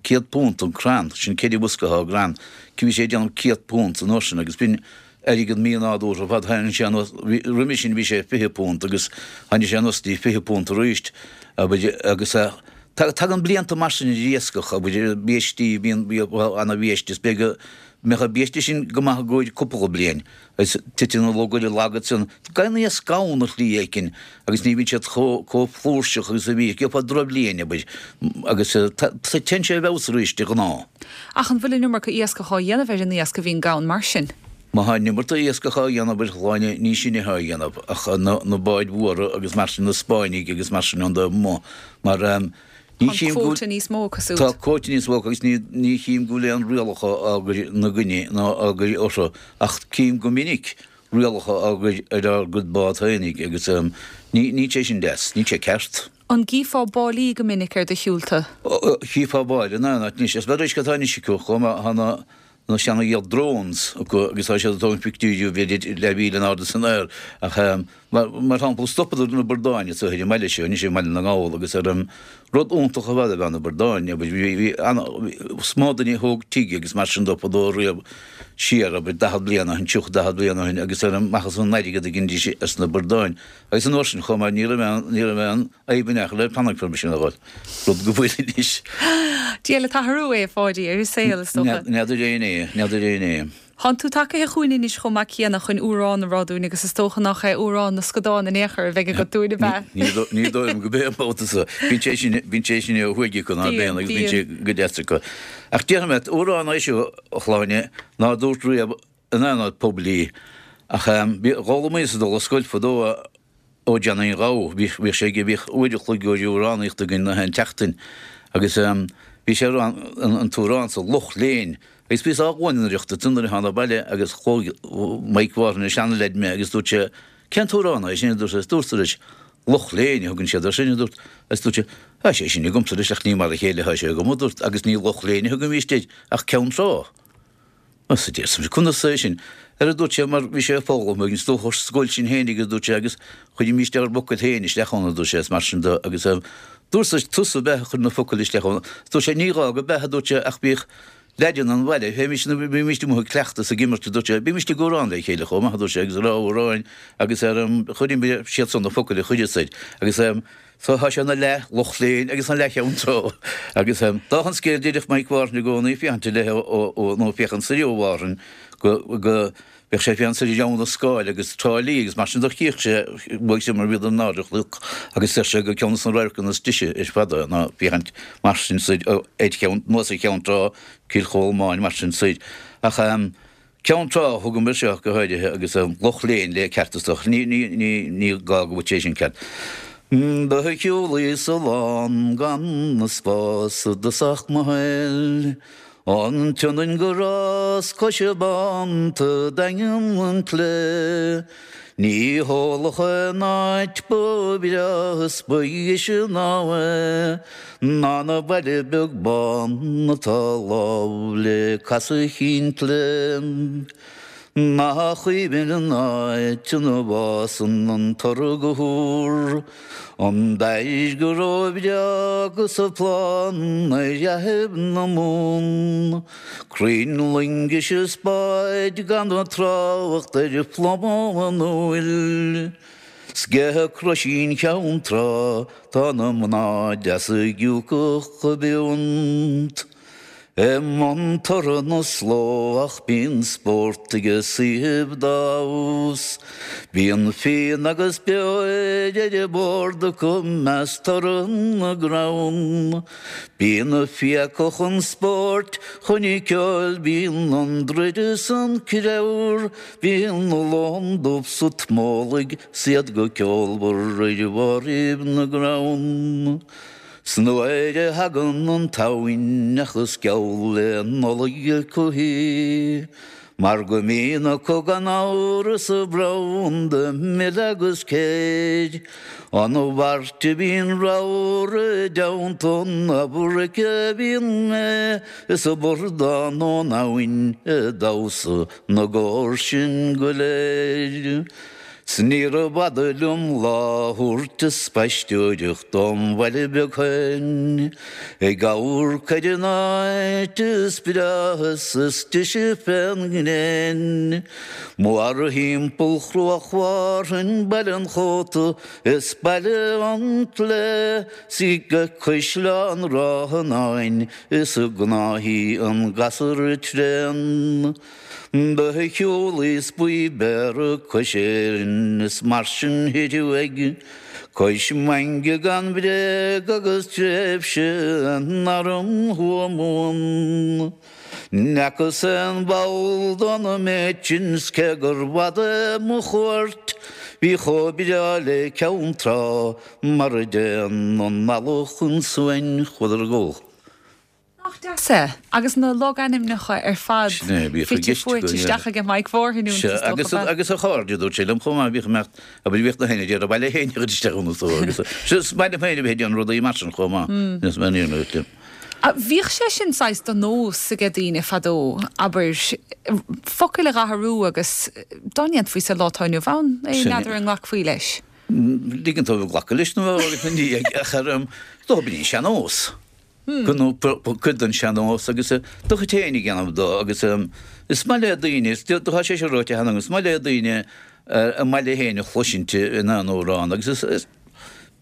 £100 an crann, sin ceithre bhosca atá i gcrann, bhí sé ag déanamh £100 an uair sin agus b'in airgead mí-nádúrtha ar fad, tháinig sé anuas, roimhe sin bhí sé £20 agus tháinig sé anuas dtí £20 arís, agus tagann blianta mar sin ar iascach, abair, biaistí, bíonn ana-bhiaiste, is b'fhéidir go mbeadh an biaiste sin go maith i gcomhair cúpla bliain. Agus titeann an lugaire lag ansan. Tagann iasc gann ar shlí éicin agus ní bhíonn siad chomh flúirseach agus a bhí. Gheofá drochbhliain, abair, agus téann sé i bhfeabhas arís de ghnáth. Ach an bhfuil an iomarca iascach á dhéanamh ar an iasc a bhíonn gann mar sin? Má tá an iomarca iascach á dhéanamh, abair, a Shláine, ní sinne atá á dhéanamh ach na báid mhóra agus mar sin, na Spáinnigh agus mar sin ón dtaobh amuigh. Mar. Ní Tá an quota níos mó acu siúd. Tá quota níos mó acu agus ní chím go bhfuil aon rialacha á gcur ina gcoinne ná á gcur orthu ach cím go minic rialacha á gcur ar ár gcuid bád féinig agus níl sé sin deas, níl sé ceart. An gcífeá báillí go minic ar do shiúlta? Chífeá báille in aon áit anois. Is beag uisce atá anois acu chomh maith, tá na na seana drones acu agus tá siad ag tógaint pictiúirí b'fhéidir leathmhíle in airde san aer ach mar shampla stopadar na bradáin anseo ar an mbaile seo anois i mBaile na nGall agus ar an rud iontach ar fad ab ea na bradáin abair bhí bhí ana is mó duine a thóg tigh agus mar sin dó fadó riamh siar abair 40 bliain ó shin 30 40 bliain ó shin agus ar an maitheas an airgead a ghinidís as na bradáin agus an uair sin chomh maith ní raibh aon ní raibh aon fhadhb in aon chor le planning permission a fháil, rud go bhfuil anois. Dia le t-athrú é, a Pháidí, ar an saol, is dócha. N'fheadar éinne é, n'fheadar éinne é. Thánn tú tagaithe chugainn anois chomh maith céanna chun amhrán a rá dúinn agus is dócha nach é amhrán na scadán in aon chor a bheidh agat dúinn, ab ea? Ní dóigh liom go b'é an babhta so. Bíonn sé sin, bíonn sé sin ó thuaidh acu ná bíonn agus bíonn sé go deas acu. Ach déarfaidh mé, amhrán é seo, a Shláine, ná dúrt riamh in aon áit poiblí. Ach bhí, d'fhoghlaimíos ag dul ar scoil fadó ó Johnny an Ghabha, bhíodh sé ag, bhíodh uair a chloig amhránaíocht againn na haon tseachtain agus bhí sé ag rá an t-amhrán so, Lucht Léinn, agus bhíos á ghuaineireacht ansin nuair a thána abhaile agus chuaigh Mike Mhárthain, an seanleaid mé agus dúirt sé, Cén t-amhrán é sin a dúirt sé, dúrt leis, Lucht Léinn a thugann siad air sin a dúrt, agus dúirt sé, Tá sé sin agamsa leis ach ní mar a chéile atá sé agam a dúrt agus ní Lucht Léinn a thugaimíst air ach Ceann Trá. Sea, a deir, conas é sin? Ar a dúirt sé, mar bhí sé ag foghlaim againn, is dócha, ar scoil sinn féin agus dúirt sé, agus chuirimíst ár bhfocail féin isteach ann, a dúirt sé, is mar sin de, agus dúirt sé, tusa ab ea a chuir na focail isteach ann. Dúirt sé, ní gá go b'ea, a dúirt sé, ach bhíodh leaideanna an bhaile, bhímist, bhímist amuigh ag cleachtadh is ag imirt, a dúirt sé, bhímist ag amhrán le chéile chomh maith, a dúirt sé, agus ag rá amhráin agus ar, chuirimid, siad san na focail a chuireas air, agus. So tá sé ina leath lucht léinn agus ina leath cheann trá. Agus dála an scéil deireadh Mike Mhárthain i gcónaí féachaint i leith ó nó féachaint soir ó Mhárthain go go bheadh sé ag féachaint soir ar Abhainn an Scáil agus Trá Lí agus mar sin do chíodh sé uaidh sin mar bhíodar in airde chnoc agus deir sé gur ceann de na radharcanna is deise ar fad é ná féachaint mar sin soir ar cheann anuas ar Cheann Trá Cill Cholmáin mar sin soir. Ach Ceann Trá a thugaim air seo go háirithe agus an lucht léinn le ceart is dócha. Ní, ní, ní, ní gá go bhfuil sé sin ceart. Do shiúlaíos a lán gan na spás i dtosach mo shaoil, An tSionainn go Ros Coise Bánta Daingean an tSlí. Ní heolach aon áit ba bhreátha is ba dheise ná é, Ná na baile beag bán atá lámh le Casadh Chinn tSlí. Nach aoibhinn an áit ina bhfásann an toradh go húr, An dair go róbhreá agus a planda ar fhaiche na mBun. Crainn loingis is báid gan trácht ar phluma an úill. 'S ag Croisín Cheann Trá tá na mná deasa ag giúcach a bpiúnt. I mbun toradh na sló ach bíonn spórt ag a saoithibh dá fheabhas. Bíonn fíon agus beoir ar an bord acu meas toradh na gcrann. Bíonn a fiacha chun spóirt, chun ceoil, bíonn an druid is an creabhar, bíonn a lón dubh sa tsmólaigh 's iad go ceolmhar ar bharraibh na gcrann. 'S nuair a thagann an tSamhain ach is geall le Nollaig acu í, mar go mbíonn acu gan amhras a branda mil agus céir. An Mhairt a bhíonn ramhar i dteannta an Afraic a bhíonn mé is a bordán ón abhainn ag damhsa na gcór sin go léir. 'S níorbh fhada liom lá a thabhairt a spaisteoireacht dom bhaile beag féin, ag amharc ar an áit is breátha 's is deise fén ngréin. Mórthimpeall Chruach Mhárthain, Baile an Chóta is Baile an tSlé, 's í go Caisleán Ráth an Áin is i gnáithí an gasúr tréan. Do shiúlaíos Baoi Béarra cois Éirinn is mar sin thoir uaidh, cois Mainge gan bhréag agus tréimhse in arm Thuamhumhan. N'fheacas aon bhall den méid sin 's cé gur bhfada mo chuairt, bhí chomh breá le Ceann Trá mar a dtéann an eallach chun suain chuadar ag ól. Nach deas é? Agus na logainmneacha ar fad Sin é, bhíodh i fite gceist fuaite againn, isteach aige Mike Mhárthain iontu, Sea, is dócha, agus, ab ea? agus a chairde, dúirt sé liom chomh maith, bhíodh imeacht, abair, bhíodh na héinne ag iarraidh baile féin a chur isteach iontu, is dócha, agus, sea, is maith liom féin a bheith ag déanamh rudaí mar sin chomh maith, is maith liom é. Bhíodh sé sin saghas de nós aige daoine fadó, abair, focail a dh'athrú agus dá ndéanfaí sa lá atá inniu ann é, Sin é. n'fheadar an nglacfaí leis. Ligean dóibh glacadh leis nó a fháil ina ndiaidh, ach ar, is dócha, b'in é an sean-nós. Cuid den sean-nós agus do chuid féin a dhéanamh dó agus is maith le daoine, tá sé seo ráite cheana agam, is maith le daoine a mbaile féin a chloisint in aon amhrán agus is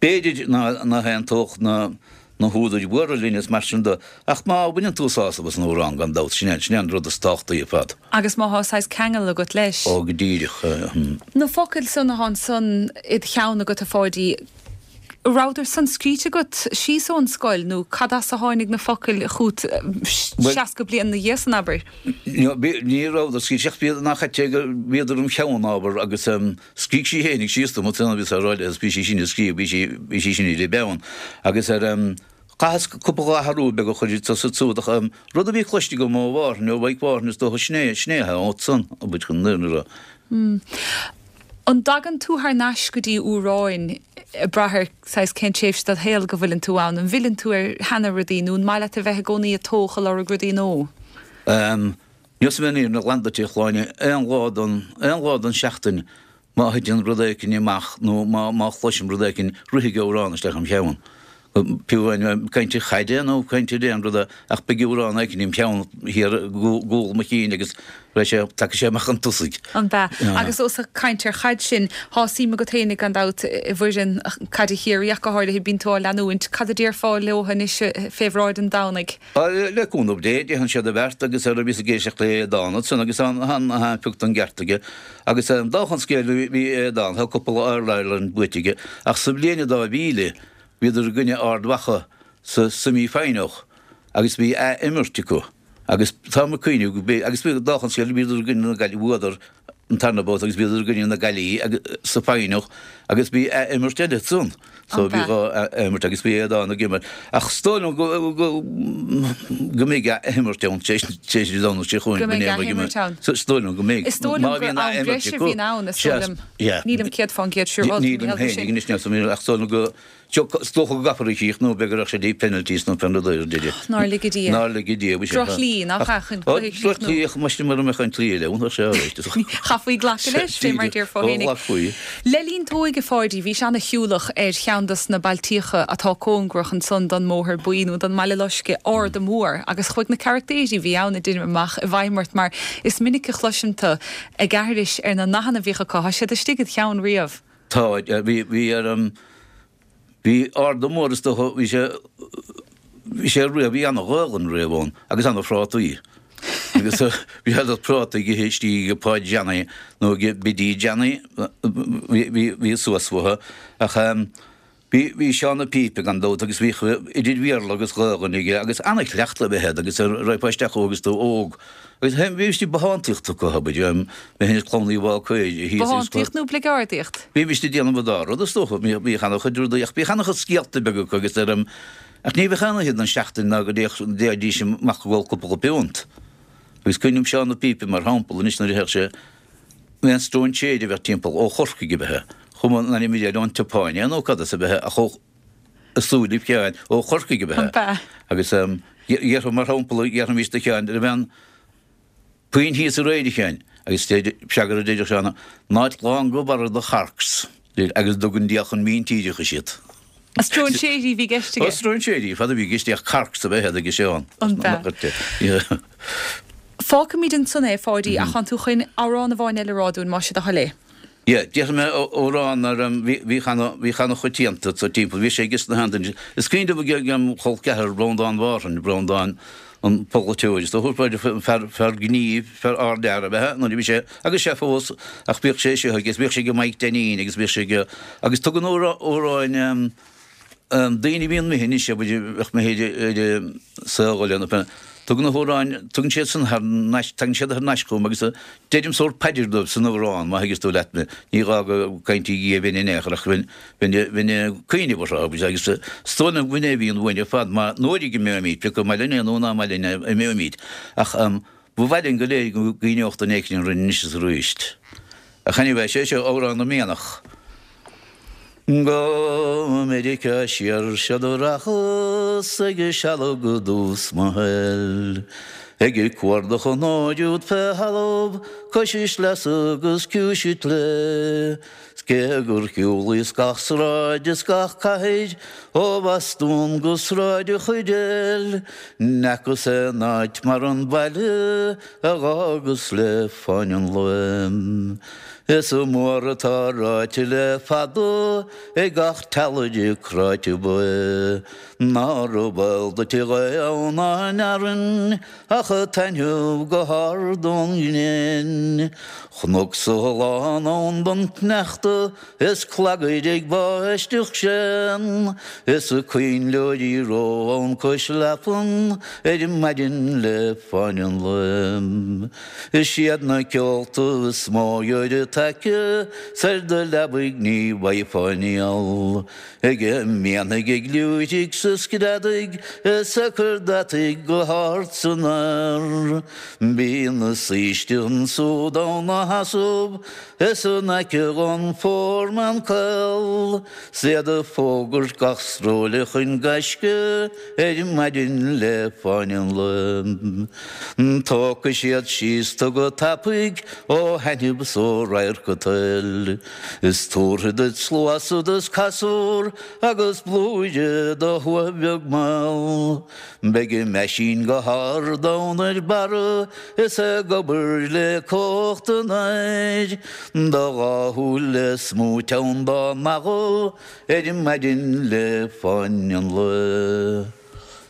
b'fhéidir nach n-aontódh na húdair mhóra linn is mar sin de ach má bhaineann tú sásamh as an amhrán gan dabht, sin é an rud is tábhachtaí ar fad. Agus má thá saghas ceangal agat leis. Ó go díreach. Na focail san athá ansan id cheann agat a Pháidí, Rabhadar san scríte agat síos ón scoil nó cad as a tháinig na focail chút 60 bliain 'na dhiaidh san, abair? Ní rabhadar scríte ach bhíodar nach ait é go bhíodar im cheann, abair, agus scrígh sí fhéinig síos dom ansan bhíos á rá léi agus bhí sí sin ag scríobh, bhí sí, bhí sí sin ar an bpeann agus ar chaitheas cúpla athrú beag a chur anso is ansúd ach rud a bhí cloiste agam ó Mhárthain, ó Mhaidhc Mhárthain is dócha sin é, sin é atá ansan, abair chun an fhírinne a rá. An dtagann tú thar n-ais go dtí amhráin ag brath ar saghas cén tréimhse dod shaol go bhfuileann tú ann? An bhfilleann tú ar sheana rudaí nó an maith leat a bheith i gcónaí ag tóch ag lorg rudaí nua? Neosfaidh mé an fhírinne ghlan duit a Shláine, aon lá den, aon lá den seachtain má thiteann rud éicint amach nó má, má chloisim rud éicint rithfidh amhrán isteach im cheann. Fiú amháin caint ar chaide nó caint ar aon rud ach beidh amhrán éicint im cheann thiar i gcúl mo chinn agus beidh sé, tiocfaidh sé amach chun tosaigh. An b'ea? Agus ós ag caint ar chaid sinn, thá suim agat fhéinig gan dabht i bhfoireann caide Chiarraí ach go háirithe, bíonn tú á leanúint. Cad a déarfá leo anois fé bhráid an Domhnaigh? Le cúnamh Dé, déanfaidh siad a bheart agus ar bhíos ag éisteacht le Aodán ansan agus tá an pioc den gceart aige. Agus dá an scéal bhí Aodán, tá cúpla All-Ireland buaite aige ach sa bhliain 2000, Bhíodar i gcoinne Ard Mhacha sa semi final agus bhí ath-imirt acu agus táim ag cuimhneamh go b'é agus bhí dá an scéal bhíodar i gcoinne na Gaillimhe bhuadar an tarna babhta agus bhíodar i gcoinne na Gaillimhe sa final agus bhí ath-imirt eile ansan so bhí dhá ath-imirt agus bhí Aodán ag imirt ach is dóigh liom go go go mbeidh ath-imirt ann tar éis Dé Domhnaigh seo chugainn Go mbeidh ath-imirt ann. Is dóigh liom go mbeidh. Is dóigh liom gur am breise a bhíonn ann is dóigh liom. Nílim 100% siúráilte Nílim féin ag anois níl ach is dóigh liom go is dócha go gcaithfear a chríochnú b'fhéidir go raibh sé dtí penalties nó pé rud é ar deireadh. Nár lige Dia. Nár lige Dia. Bhí sé. Drochshlí, nach ea, chun cluiche a chríochnú. Drochshlí ach más mura mbeadh an tslí eile ann, bheadh sé alright. Chaithfí glacadh leis, fé mar déarfá féinig. Ghlacfaí. Le linn t'óige, a Pháidí, bhís ana-shiúlach ar cheann dos na bailtíocha atá cóngarach ansan don mBóthar Buí nó don mBaile Loiscthe, Arda Mór, agus chuaigh na carachtéirí a bhí ann, a deirim, amach i bhfeidhm ort mar is minic a chloisim tu ag aithris ar na nathanna a bhíodh acu, tá siad istigh id cheann riamh. Tá, bhí, bhí ar an, bhí Arda Mór is dócha, bhí sé, bhí sé riamh, bhí ana-Ghaolainn riamh ann agus ana-phrátaí. Agus bhí ana prátaí ag ithe istigh ag Páid Johnny nó ag Biddy Johnny, bhí, bhí, bhí suas uathu ach Bhí, bhí Seán a' Phípe gan dabht agus bhíodh idir Bhéarla agus Ghaolainn aige agus ana-chleachtadh ab ea iad agus raghfá isteach chucu agus tú óg. Agus bhí istigh bothántaíocht acu, abair, mé féin is Clann Uí Bhácair thíos agus. Bothántaíocht nó bligeardaíocht? Bhímis ag déanamh an dá rud is dócha, bhíodh ana-chuid rudaí ach bhíodh ana-chuid scéalta beaga acu agus ar, ach ní bheadh aon oíche den seachtain ná go dtéidís amach ag ól cúpla piúnt. Agus cuimhním Seán a' Phípe mar shampla anois nuair a théadh sé, Aon stróinséir a bheadh timpeall, ó Chorcaigh ab ea, cuma an ainm air ón tSeapáin é nó cad as ab ea ach ó súilibh Sheáin, ó Chorcaigh ab ea. Agus dhéarfadh, mar shampla, dhéarfaimis do Sheán, raibh aon puinn thíos aréir, a Sheáin? Agus freagra a deireadh Seán, Not long go barra do charcs, agus dtugann Dia chun míntíreachais iad. Stróinséirí a bhí i gceist aige. Ó, stróinséirí, fad a bhí i gceist ach carcs ab ea iad ag Seán. An b'ea? Fágfaimid ansan é, a Pháidí, ach tánn tú chun amhrán amháin eile a rá dúinn, más é do thoil é. Yeah, déarfaidh mé amhrán ar bhíodh ana, bhíodh ana choitianta sa timpeall, bhí sé aige sna sheandaoine. Is cuimhin liom ag im chol ceathar Breandán Mhárthain, Breandán an polaiteoir, is dócha, fear, fear gnímh, fear ardfhear ab ea nuair a bhí sé, agus sé fós, ach bhíodh sé seo aige, is bhíodh sé ag Mike Dainín agus bhíodh sé ag, agus tugann amhráin daoine a bhíonn imithe anois, bheadh mé ar a saol lena, tugann na hamhráin, tugann siad san thar n-ais, tagann siad thar n-ais chugam agus deirim sórt paidir dóibh san amhrán, má thuigeas tú leat mé, ní gá go gcaintí Dia bheinn in aon chor ach bheinn, bheinn, bheinn ag cuimhneamh orthu agus, agus is dóigh liom go b'in é a bhíonn uainn ar fad, má, nuair a imeoimid, pé acu maith linn é nó ná maith linn é, imeoimid ach ba mhaith linn go léir go gcuimhneodh duine éicint orainn anois is arís. Ach anyway, sé seo Amhrán na Mianach. Go Meiriceá siar seod a rachas ag sealg i dtús mo shaoil, ag cuardach an óir úd fé thalamh cois sleasa agus ciumhais claí. 'S cé gur shiúlaíos gach sráid is gach cathair ó Bhostún go Sráid an Chuirréil, n'fheacas aon áit mar an baile a dh'fhágas le fáinne an lae. Is mór atá ráite le fada ag gach teallaire cráite baoth, nárbh eol duit a ghaoth ann ná an fhearthainn ach ag taitneamh go hard ón ngréin. Chnoc lán ann don tsneachta is clagair ag báisteach séan, is coinnleoirí reo ann cois leapan ar maidin le fáinne an lae. Is iad na ceolta is mó gheobhair taca 's ar do leabaidh ní bhfaighfeá néal. Ag mianaigh ag liúirigh 's ag screadaigh is ag cur deataigh go hard san aer. Bíonn na saoiste ansúd ann 'na sheasamh is in aice dhon Foreman Caol 's iad ag fógairt gach sróile chun gaisce ar maidin le fáinne an lae. Tógfaidh siad síos tú go tapaidh ó thaitneamh 's ó radharc an tsaoil. Is tabharfaid duit sluasad is casúr agus blúire de thuath bheag mall. Beidh an meaisín go hard ann ar barra is ag obair le cumhacht an aeir. Do dhá shúil le smúit ann dá mbeathú ar maidin le fáinne an lae.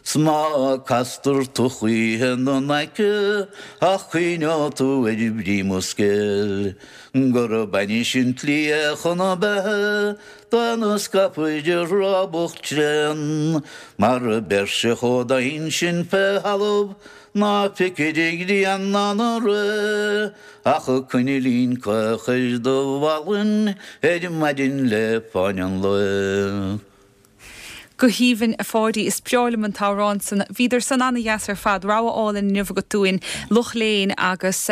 'S má castar tú choíche 'na n-aice ach cuimhneoidh tú ar bhrí mo scéil. Gurb ainnis an tslí é chun na beatha d'aon a scaipfir a rábach tréan, mar beir-se chomh domhain sin fé thalamh ná feicfir an ghrian ná na ré ach coinnlín caoch ar do mhalainn ar maidin le fáinne an lae. Go haoibhinn, a Pháidí. Is breá liom an t-amhrán san. Bhíodar san ana-dheas ar fad. Rogha álainn inniu agat dúinn. Loch Léin agus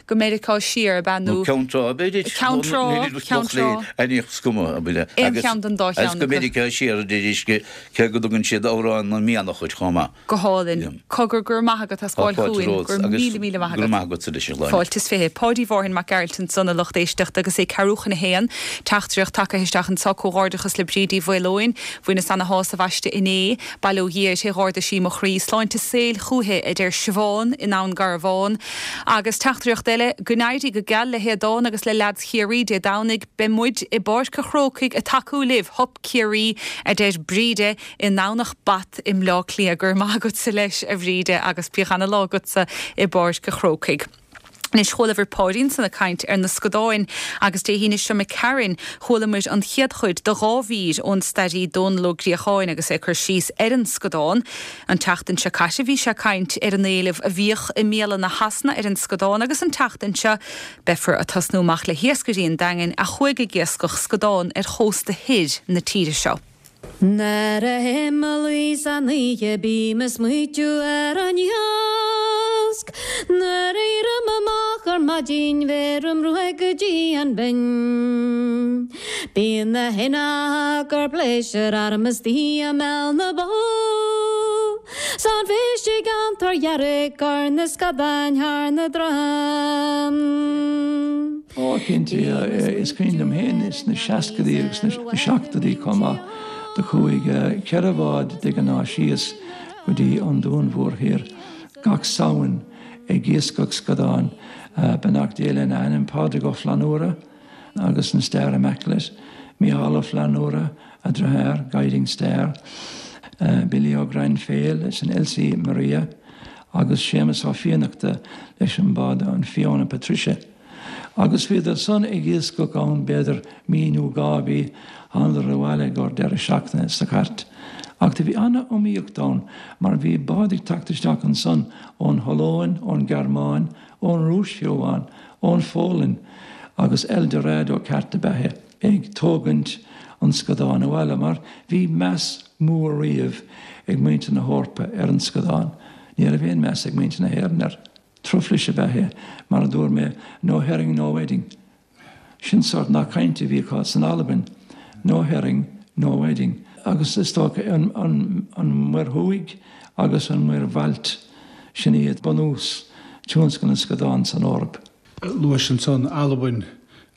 go Meiriceá siar, ab ea? Nó Ceann Trá, b'fhéidir. Ceann Trá, Ceann Trá. Is cuma, ab ea? Aon cheann den dá cheann acu. Agus go Meiriceá siar, a deir cé go dtugann siad Amhrán na Mianach air chomh maith. Go hálainn. Cogar, go raibh maith agat as gabháil chugainn. Go raibh míle, míle maith agat. Go raibh maith agatsa leis, a Shláine. Fáilte is 20. Páidí Mhárthain Mac Gearailt ansan, a lucht éisteachta, agus é ceathrú chun a haon. Teachtaireacht tagtha isteach anso, Comhghairdeachas le Bríd Uí Mhaoileoin. Bhaineas ana-shásamh. bhaiste inné, bail ó Dhia uirthi, dh'ardaigh sí mo chroí. Sláinte saoil chúithi, a deir Siobhán i nDún Garbhán. Agus teachtaireacht eile, Go n-éirí go geal le hAodán agus le leaids Chiarraí Dé Domhnaigh, beidh muid i bPáirc a' Chrócaigh ag tacú libh, Hup Ciarraí, a deir Bríde i nDomhnach Bat i mBleá Cliath. Go raibh maith agatsa leis, a Bhríde, agus bíodh ana-lá agatsa i bPáirc a' Chrócaigh. Anois, chualabhair Páidí ansan ag caint ar na scadáin agus Dé hAoine seo imigh tharainn, chualamair an chéad chuid de dha mhír ón stairí Dónal Ó Griacháin agus é ag cur síos ar an scadán. An tseachtain seo caite bhí sé ag caint ar an éileamh a bhíodh i mbialanna Shasana ar an scadán agus an tseachtain seo beifear ag tosnú amach le hiascairí an Daingin a chuaigh ag iascach scadán ar chósta thoir na tíre seo. Nuair a théim a luí san oíche bím ag smaoitiú ar an iasc. Nuair a éirim amach ar maidin bheirim ruaig go dtí an binn. Bíonn na héanacha gur pléisiúr orm istigh i mbéal na bó. 'S an phéist ag an tor dhearg ar na scadáin thar na drom. Ó, cinnte, is cuimhin liom féin sna seascadaí agus sna seachtóidí chomh maith, do chuaigh cheithre bhád de ghnáth síos go dtí an Dún Mhór Thoir gach Samhain ag iascach scadán, beannacht Dé lena anam, Pádraig Ó Flannúra agus an Star Immaculate, Mícheál Ó Flannúra, a dheartháir, Guiding Star, Billy Ó Grainféil leis an Elsie Maria agus Séamus Ó Fiannachta leis an bád an Fiona Patricia. Agus bhíodar san ag iascach ann b'fhéidir mí nó dhá mhí, thánadar abhaile i gcomhair deireadh seachtaine sa chairt. Ach do bhí ana-iomaíocht ann mar bhí báid ag teacht isteach ansan ón Hollóin, ón Ghearmáin, ón Rúis fiú amháin, ón Pholainn agus El Dorado ceart ab ea é, ag tógaint an scadáin abhaile mar bhí meas mór riamh ag muintir na hEorpa ar an scadán. Ní raibh aon meas ag muintir na hÉireann air. Truflais ab ea é, mar a dúirt mé, no herring, no wedding. Sin sórt nath cainte a bhí acu san Albain, no herring, no wedding. Agus is dócha an Mhuir Thuaidh agus an Mhuir Bhailt, sin iad bunús tionscal na scadán san Eoraip. Luais ansan Albain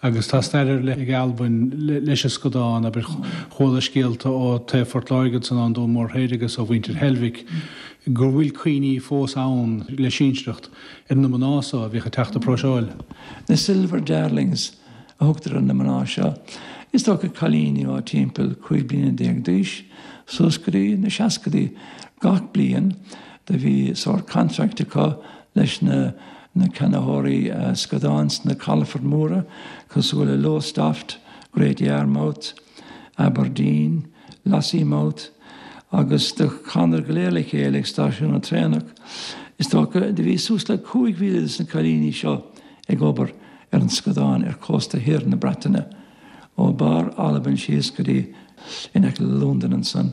agus tá stair ar leith ag Albain leis an scadán, abair. Chuala scéalta ó taobh Phort Láirge ansan ón Dún Mór Thoir agus ó mhuintir Heilbhic go bhfuil cuimhní fós ann le sinsearacht ar na mná so a bhíodh ag teacht ag próiseáil. Na Silver Darlings a thugtar ar na mná seo. Is dócha cailíní ó timpeall 15 bliana d'aois suas go dtí na seascadaí. Gach bliain do bhí sórt contract acu leis na na ceannaitheoirí scadán sna calafoirt mhóra cosúil le Lowestoft, Great Yarmouth, Aberdeen, Lossiemouth agus do thánadar go léir le chéile ag stáisiún na traenach. Is dócha do bhí suas le 5,000 de na cailíní seo ag obair ar an scadán ar chósta thiar na Breataine. ó barr Albain síos go dtí in aice le Londain ansan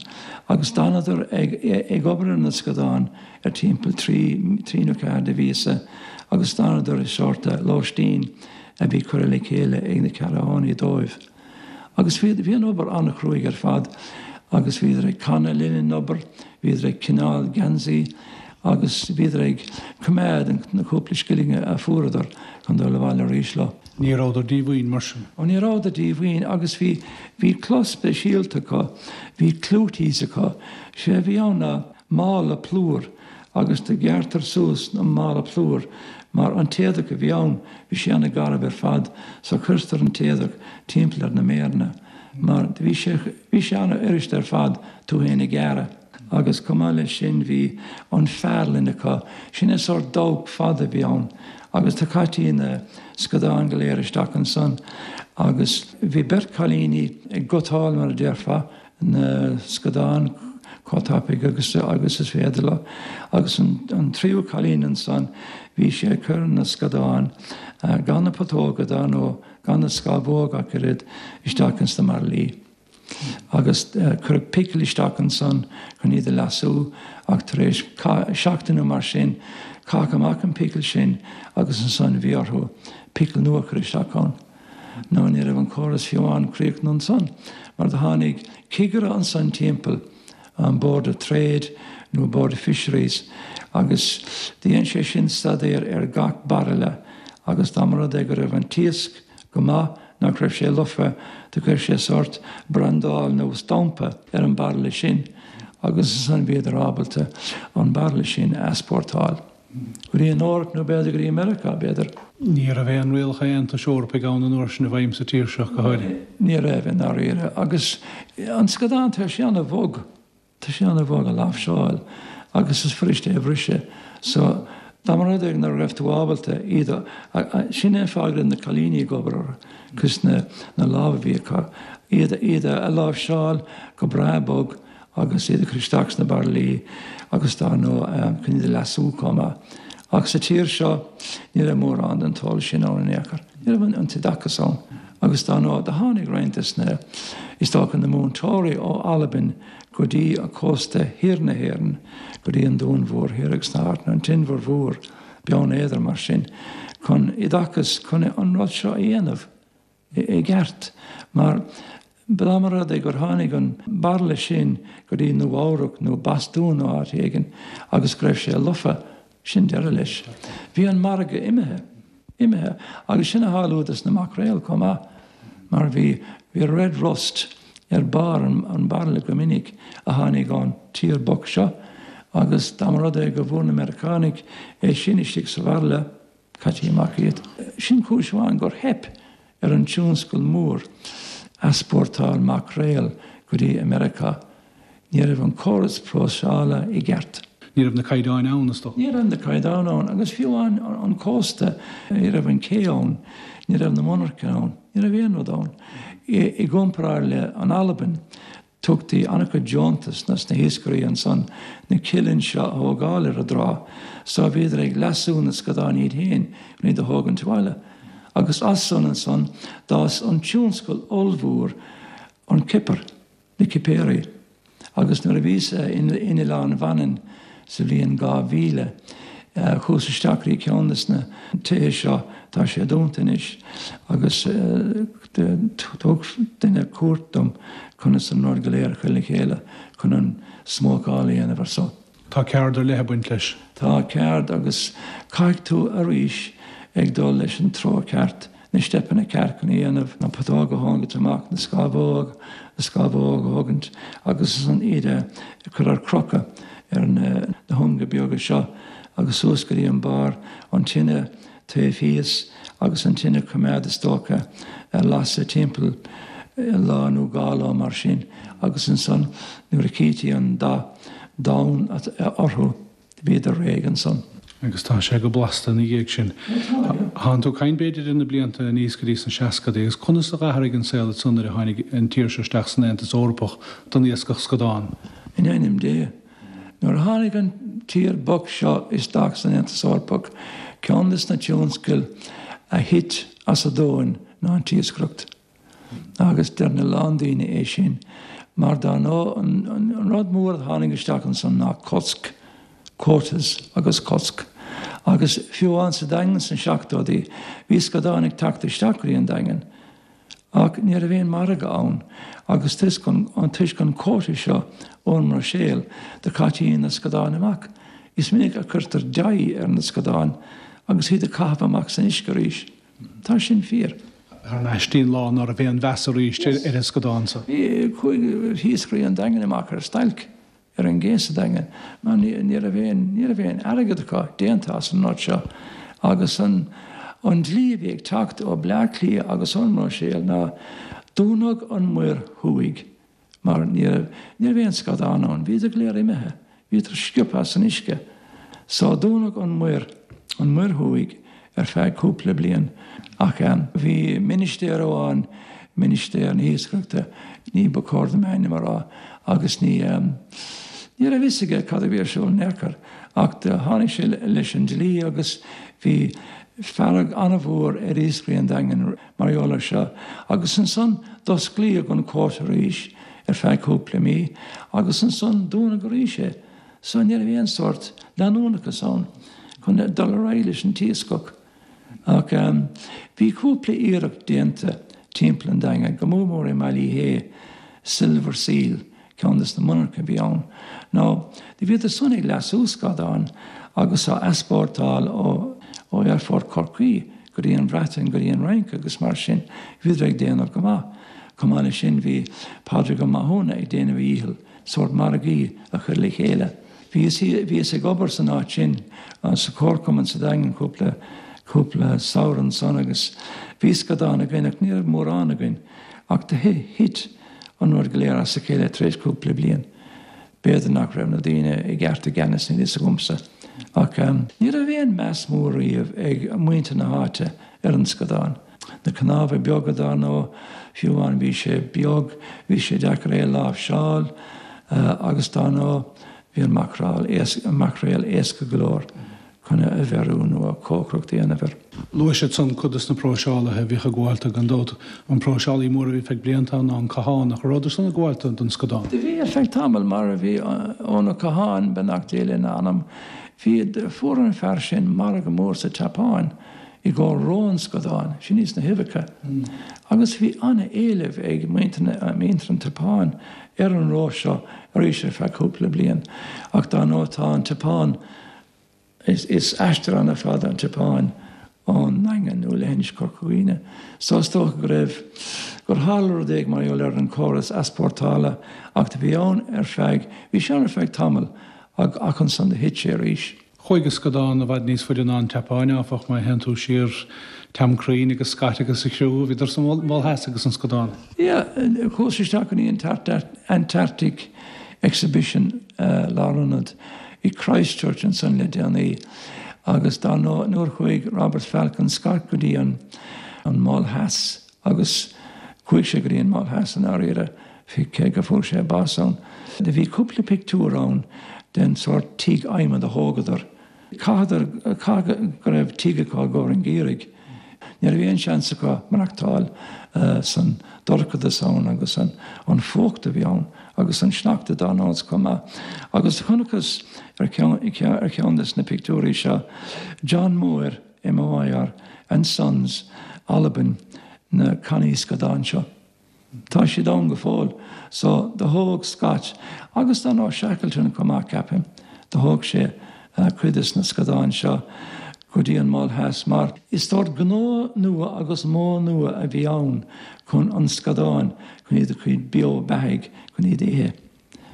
agus d'fhanadar ag ag obair ar na scadáin ar timpeall trí trí nó ceathair de mhíosa agus d'fhanadar i sórt lóistín a bhí curtha le chéile ag na ceannaitheoirí dóibh. Agus bhí bhí an obair an-chruaidh ar fad agus bhíodar ag canadh le linn an obair, bhíodar ag cineál geansaí agus bhíodar ag coimeád na cúpla scilling a fuaireadar chun dul abhaile arís leo. Ní rabhadar díomhaoin mar sin. Ó ní rabhadar díomhaoin agus bhí, bhí clos speisialta acu, bhí clooties acu. Sé a bhí ann ná mála plúir agus do ghearrtar suas an mála plúir mar an t-éadach a bhí ann, bhí sé ana-gharbh ar fad so cuirtear an t-éadach timpeall ar na méireanna mar bhí sé, bhí sé ana-fhuirist ar fad tú fhéin a ghearradh. Agus chomh maith leis sin bhí an fearlann acu, sin é sórt dabhach fada a bhí ann agus do chaití na scadáin go léir isteach ansan agus bhí beirt chailíní ag gutáil mar a déarfá na scadáin chomh tapaidh agus agus is féidir leo agus an tríú cailín ansan bhí sí ag cur na scadáin gan na putóga dar ndóigh gan na scámhóga ach oiread isteach ins na mbairillí. Agus cuireadh picil isteach ansan chun iad a leasú ach tar éis seachtain nó mar sin caitheadh amach an picil sin agus ansan bhí orthu picil nua a chur isteach ann. Nó ní raibh an córas fiú amháin críochnaithe ansan mar do tháinig cigire ansan timpeall an Board of Trade nó Board of Fisheries agus do dhein sé sin staidéar ar gach bairille agus dá mba rud é go raibh an t-iasc go maith. nach raibh sé lofa, do chuir sé sórt brandáil nó stampa ar an bairille sin agus ansan bhíodar ábalta an bairille sin a easpórtáil go dtí an Eoraip nó b'fhéidir go dtí Meiriceá, b'fhéidir. Ní raibh aon rialacha Aontais Eorpaigh ann an uair sin i bhfeidhm sa tír seo, go háirithe. Ní raibh, i ndáiríre. Agus an scadán, tá sé ana-bhog. Tá sé ana-bhog a láimhseáil agus is fuirist é a bhriseadh so dá mba rud é nach raibh tú ábalta iad a, sin é an fáth go raibh na cailíní ag obair orthu cos na na lámha a bhí acu, iad iad a láimhseáil go breá bog agus iad a chur isteach sna bairillí agus dár ndóigh chun iad a leasú chomh maith. Ach sa tír seo ní raibh mórán den t-eolas sin ann in aon chor. Ní raibh an t-oideachas ann agus dár ndóigh do tháinig roinnt des na, is dócha, na múinteoirí ó Albain go dtí cósta thiar na hÉireann, go dtí an Dún Mhór Thoir agus na háiteanna, an tInbhear Mhór, Beann Éadair mar sin, chun oideachas, chun an rud seo a dhéanamh i gceart mar dá mba rud é gur tháinig an bairille sin go dtí Nua Eabhrac nó Bostún nó áit éigin agus go raibh sé lofa, sin deireadh leis. Bhí an margadh imithe. Imithe. Agus sin a tharla dos na maicréil chomh maith mar bhí bhí red rust ar barr an bhairille go minic a tháinig ón tír bocht seo agus dá mba rud é go bhfuair na Meiriceánaigh é sin istigh sa bhairille, Chaití amach iad. Sin cúis amháin gur theip ar an tionscal mór easpórtáil maicréal go dtí Meiriceá. Ní raibh an córas próiseála i gceart. Ní raibh na caighdeáin ann, is dócha. Ní raibh na caighdeáin ann agus fiú amháin an cósta, ní raibh an cé ann, ní raibh na monarchana ann, ní raibh aon rud ann. I gcomparáid le an Albain, Tugtaí an-chuid deontas dos na hiascairí ansan na cuilinn seo a thógáil ar an dtrá so bhíodar ag leasú na scadán iad féin chun iad a thógaint abhaile. Agus as san ansan d'fhás an tionscal ollmhór an cipir, na cipéirí. Agus nuair a bhíos-sa in Oileán Mhanann sa bhliain 2000, chuas isteach go dtí ceann des na tithe seo, tá sé dúnta anois, agus thug duine cuairt dom conas an rud go léir a chur le chéile chun an smócáil a dhéanamh ar so. Tá ceard ar leith ag baint leis. Tá ceard agus caithfidh tú arís ag dul leis an treo ceart. na steipeanna ceart chun a dhéanamh, na putóga a thógaint amach, na scamhóg, na scamhóg a thógaint agus ansan iad a chur ar crochadh ar na hunga beaga seo agus suas go dtí an barr, an tine taobh thíos agus an tine coimeád is dócha ar lasadh timpeall lá nó dhá lá mar sin agus ansan nuair a chítí an dath donn orthu. Bhíodar réidh ansan. Agus tá sé go blasta ina dhiaidh sin. Thánn tú ag caint b'fhéidir ar na blianta aníos go dtí sna seascadaí agus conas a dh'athraigh an saol ansan nuair a tháinig an tír seo isteach san Aontas Eorpach don iascach scadán? In ainm Dé! Nuair a tháinig an tír bocht seo isteach san Aontas Eorpach, ceann des na tionscail a thit as an domhan ná an t-iascaireacht. Agus deireann a lán daoine é sin mar dár ndóigh an rud mór a tháinig isteach ansan ná cosc, quotas agus cosc. Agus fiú amháin sa Daingean sna seachtóidí bhí scadáin ag teacht isteach go dtí an Daingean ach ní raibh aon margadh ann agus toisc an toisc an quota seo ón mBruiséil do chaití na scadáin amach. Is minic a cuirtear dye ar na scadáin agus iad a chaitheamh amach san uisce arís. Tá sin fíor. Thar n-ais dtí an lá ná raibh aon mheas arís ar an scadán so. Bhí, chuaigh iascairí an Daingin amach ar stailc ar an gcé sa Daingean mar ní raibh aon, ní raibh aon airgead acu déanta as an rud seo agus an, an dlí a bhí ag teacht ó Bleá Cliath agus ón mBruiséil ná dúnadh an Muir Thuaidh. Mar ní raibh, ní raibh aon scadán ann, bhíodar go léir imithe, bhíodar sciobtha as an uisce. So dúnadh an muir, an Muir Thuaidh ar feadh cúpla bliain. Ach bhí ministéir amháin, ministéir na hiascaireachta, ní ba chóir dom a ainm a rá, agus ní, ní raibh fhios aige cad a bhí ar siúl in aon chor. Ach do tháinig sé leis an dlí agus bhí fearg an-mhór ar iascairí an Daingin. Mar gheall air seo, agus ansan d'osclaíodh an quota arís ar feadh cúpla mí, agus ansan dúnadh arís é. So ní raibh aon sórt leanúnachas ann chun dul ar aghaidh leis an t-iascach. Ach bhí cúpla iarracht déanta timpeall an Daingin, go mór mór i mBaile Uí Shé, Silver Seal, ceann des na monarcha a bhí ann. Now do bhíodar san ag leasú scadán agus á easpórtáil ó aerfort Chorcaí. go dtí an Bhreatain, go dtí an Fhrainc agus mar sin, bhíodar ag déanamh go maith. Chomh maith leis sin bhí Pádraig Ó Mathúna ag déanamh a dhícheall sórt margaí a chur le chéile. Bhíos, bhíos ag obair san áit sin, sa Chomharchumann sa Daingean cúpla, cúpla samhradh ansan agus bhí scadán againn ach ní raibh mórán againn ach do thit an rud go léir as a chéile tar éis cúpla bliain. B'fhéidir nach raibh na daoine i gceart i gceannas, níl fhios agamsa. Ach ní raibh aon meas mór riamh ag muintir na háite ar an scadán. Na cnámha beaga dar ndóigh, fiú amháin bhí sé beag, bhí sé deacair é a láimhseáil agus dar ndóigh bhí an maicréal éasca go leor. chun é a bheiriú nó cócaireacht a dhéanamh air. Luaigh siad san cuid des na próiseálaithe a bhíodh ag gabháil dó, gan dabht. An próiseálaí mór a bhí feadh blianta ann ná an Cathánach. An rabhadar san ag gabháil don scadán? Do bhí ar feadh tamaill, mar a bhí Eoin Ó Catháin, beannacht Dé lena anam, bhí, fuair an fear sin margadh mór sa tSeapáin i gcomhair ró an scadáin, sin iad na huibheacha, agus bhí an-éileamh ag muintir na, muintir an tSeapáin ar an ró seo arís ar feadh cúpla bliain. Ach dar ndóigh tá an tSeapáin, Is aistear an-fhada an tSeapáin ón nDaingean nó leithinis Chorca Dhuibhne so is dócha go raibh, gur tharla rud éigin mar gheall ar an córas easpórtála ach do bhí ann ar feadh, bhí sé ann ar feadh tamaill ach ach ansan do thit sé arís. Chuaigh an scadán i bhfad níos faide ná an tSeapáin, áfach, má théann tú siar Tom Crean agus Scott agus a chriú, bhíodar sa Mhol Theas agus an scadán. Yeah, chuas isteach go dtí an Antarctic Exhibition lárionad i Christchurch ansan le déanaí agus dar ndóigh nuair chuaigh Robert Falcon Scott go dtí an an Mol Theas agus chuaigh sé go dtí an Mol Theas i ndáiríre cé go fuair sé bás ann. Do bhí cúpla pictiúr ann den sórt tigh adhmaid a thógadar. Chaitheadar, caithfidh go raibh tigh acu i gcomhair an gheimhridh. Ní raibh aon seans acu maireachtáil san dorchadas ann agus an fuacht a bhí ann agus an sneachta dar ndóigh chomh maith. Agus chonacthas ar cheann, ar cheann des na pictiúirí seo John Moir, M-O-I-R, and Sons, Albain, na cannaí scadán seo. Tá siad ann go fóill. So, do thóg Scott, agus dar ndóigh Shackleton chomh maith, ceapaim, do thóg sé cuid des na scadáin seo go dtí an Mol Theas mar is sórt gnó nua agus modh nua a bhí ann chun an scadáin, chun iad a choinneáil beo beathaigh, chun iad a ithe.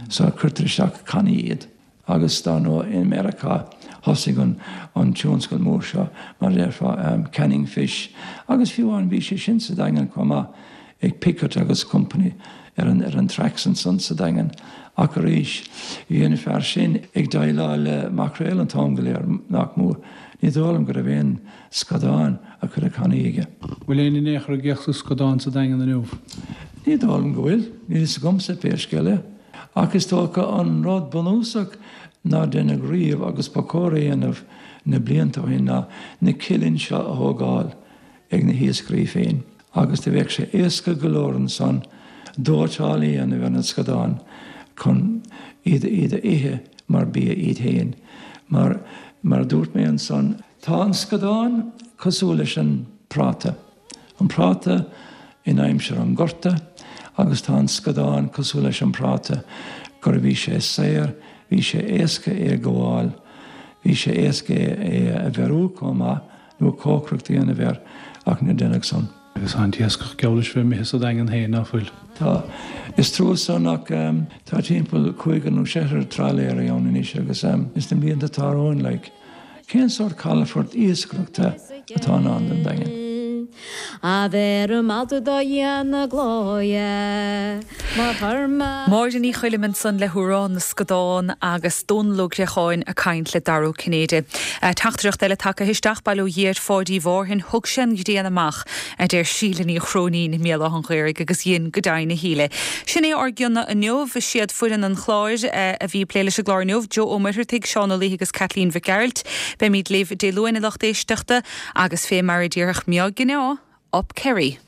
So, cuirtear isteach i cannaí iad. Agus dar ndóigh i Meiriceá thosaigh an an tionscal mór seo, mar a déarfá, canning fish, agus fiú amháin bhí sé sin sa Daingean chomh maith ag Pickett agus Company ar an ar an tracks ansan sa Daingean. Ach arís, bhí an fear sin ag déileáil le maicréal an t-am go léir, nach mór. Ní dóigh liom go raibh aon scadáin a chur i cannaí aige. Bhfuil éinne in aon chor ag iascach scadán sa Daingean inniu? Ní dóigh liom go bhfuil. Níl fhios agamsa pé scéal é. Ach is dócha an rud bunúsach nár deineadh riamh agus ba chóir a dhéanamh na blianta ó shin ná na cillíní seo a thógáil ag na hiascairí féin agus do bheadh sé éasca go leor ansan dóiteáil a dhéanamh ar na scadáin chun iad iad a ithe mar bia iad féin. Mar mar a dúirt mé ansan, tá an scadán cosúil leis an práta. An práta in aimsir an Ghorta agus tá an scadán cosúil leis an práta gur bhí sé saor, bhí sé éasca é a ghabháil, bhí sé éasca é a bheiriú chomh maith nó cócaireacht a dhéanamh air ach níor deineadh san. Agus tá an t-iascach geall leis bheith imithe sa Daingean féin, ná fuil? Tá. Is trua san ach tá timpeall cúigear nó seisear trálaeirí ann anois agus ins na blianta atá romhainn like. Cén sórt calafort iascaireachta atá i ndán don Daingean? Máire Ní Choilm ansan le hamhrán na Scadán agus Dónal Ó Greacháin ag caint le Dara Ó Cinnéide. Teachtaireacht eile tagtha isteach, bail ó Dhia ar Pháidí Mhárthain, thug sé an ghrian amach, a deir Síle Ní Chróinín i mBéal Átha an Ghaorthaidh agus dhein go deimhin a Shíle. Sin é ár gcion inniu. Is iad foireann an chláir a bhí ag plé leis an gclár inniu, Joe Ó Muircheartaigh, Seán Ó Laoithe agus Caitlín Mhic Gearailt. Beimid libh Dé Luain a lucht éisteachta agus fé mar a déarfadh Meá Gineá, Up Kerry!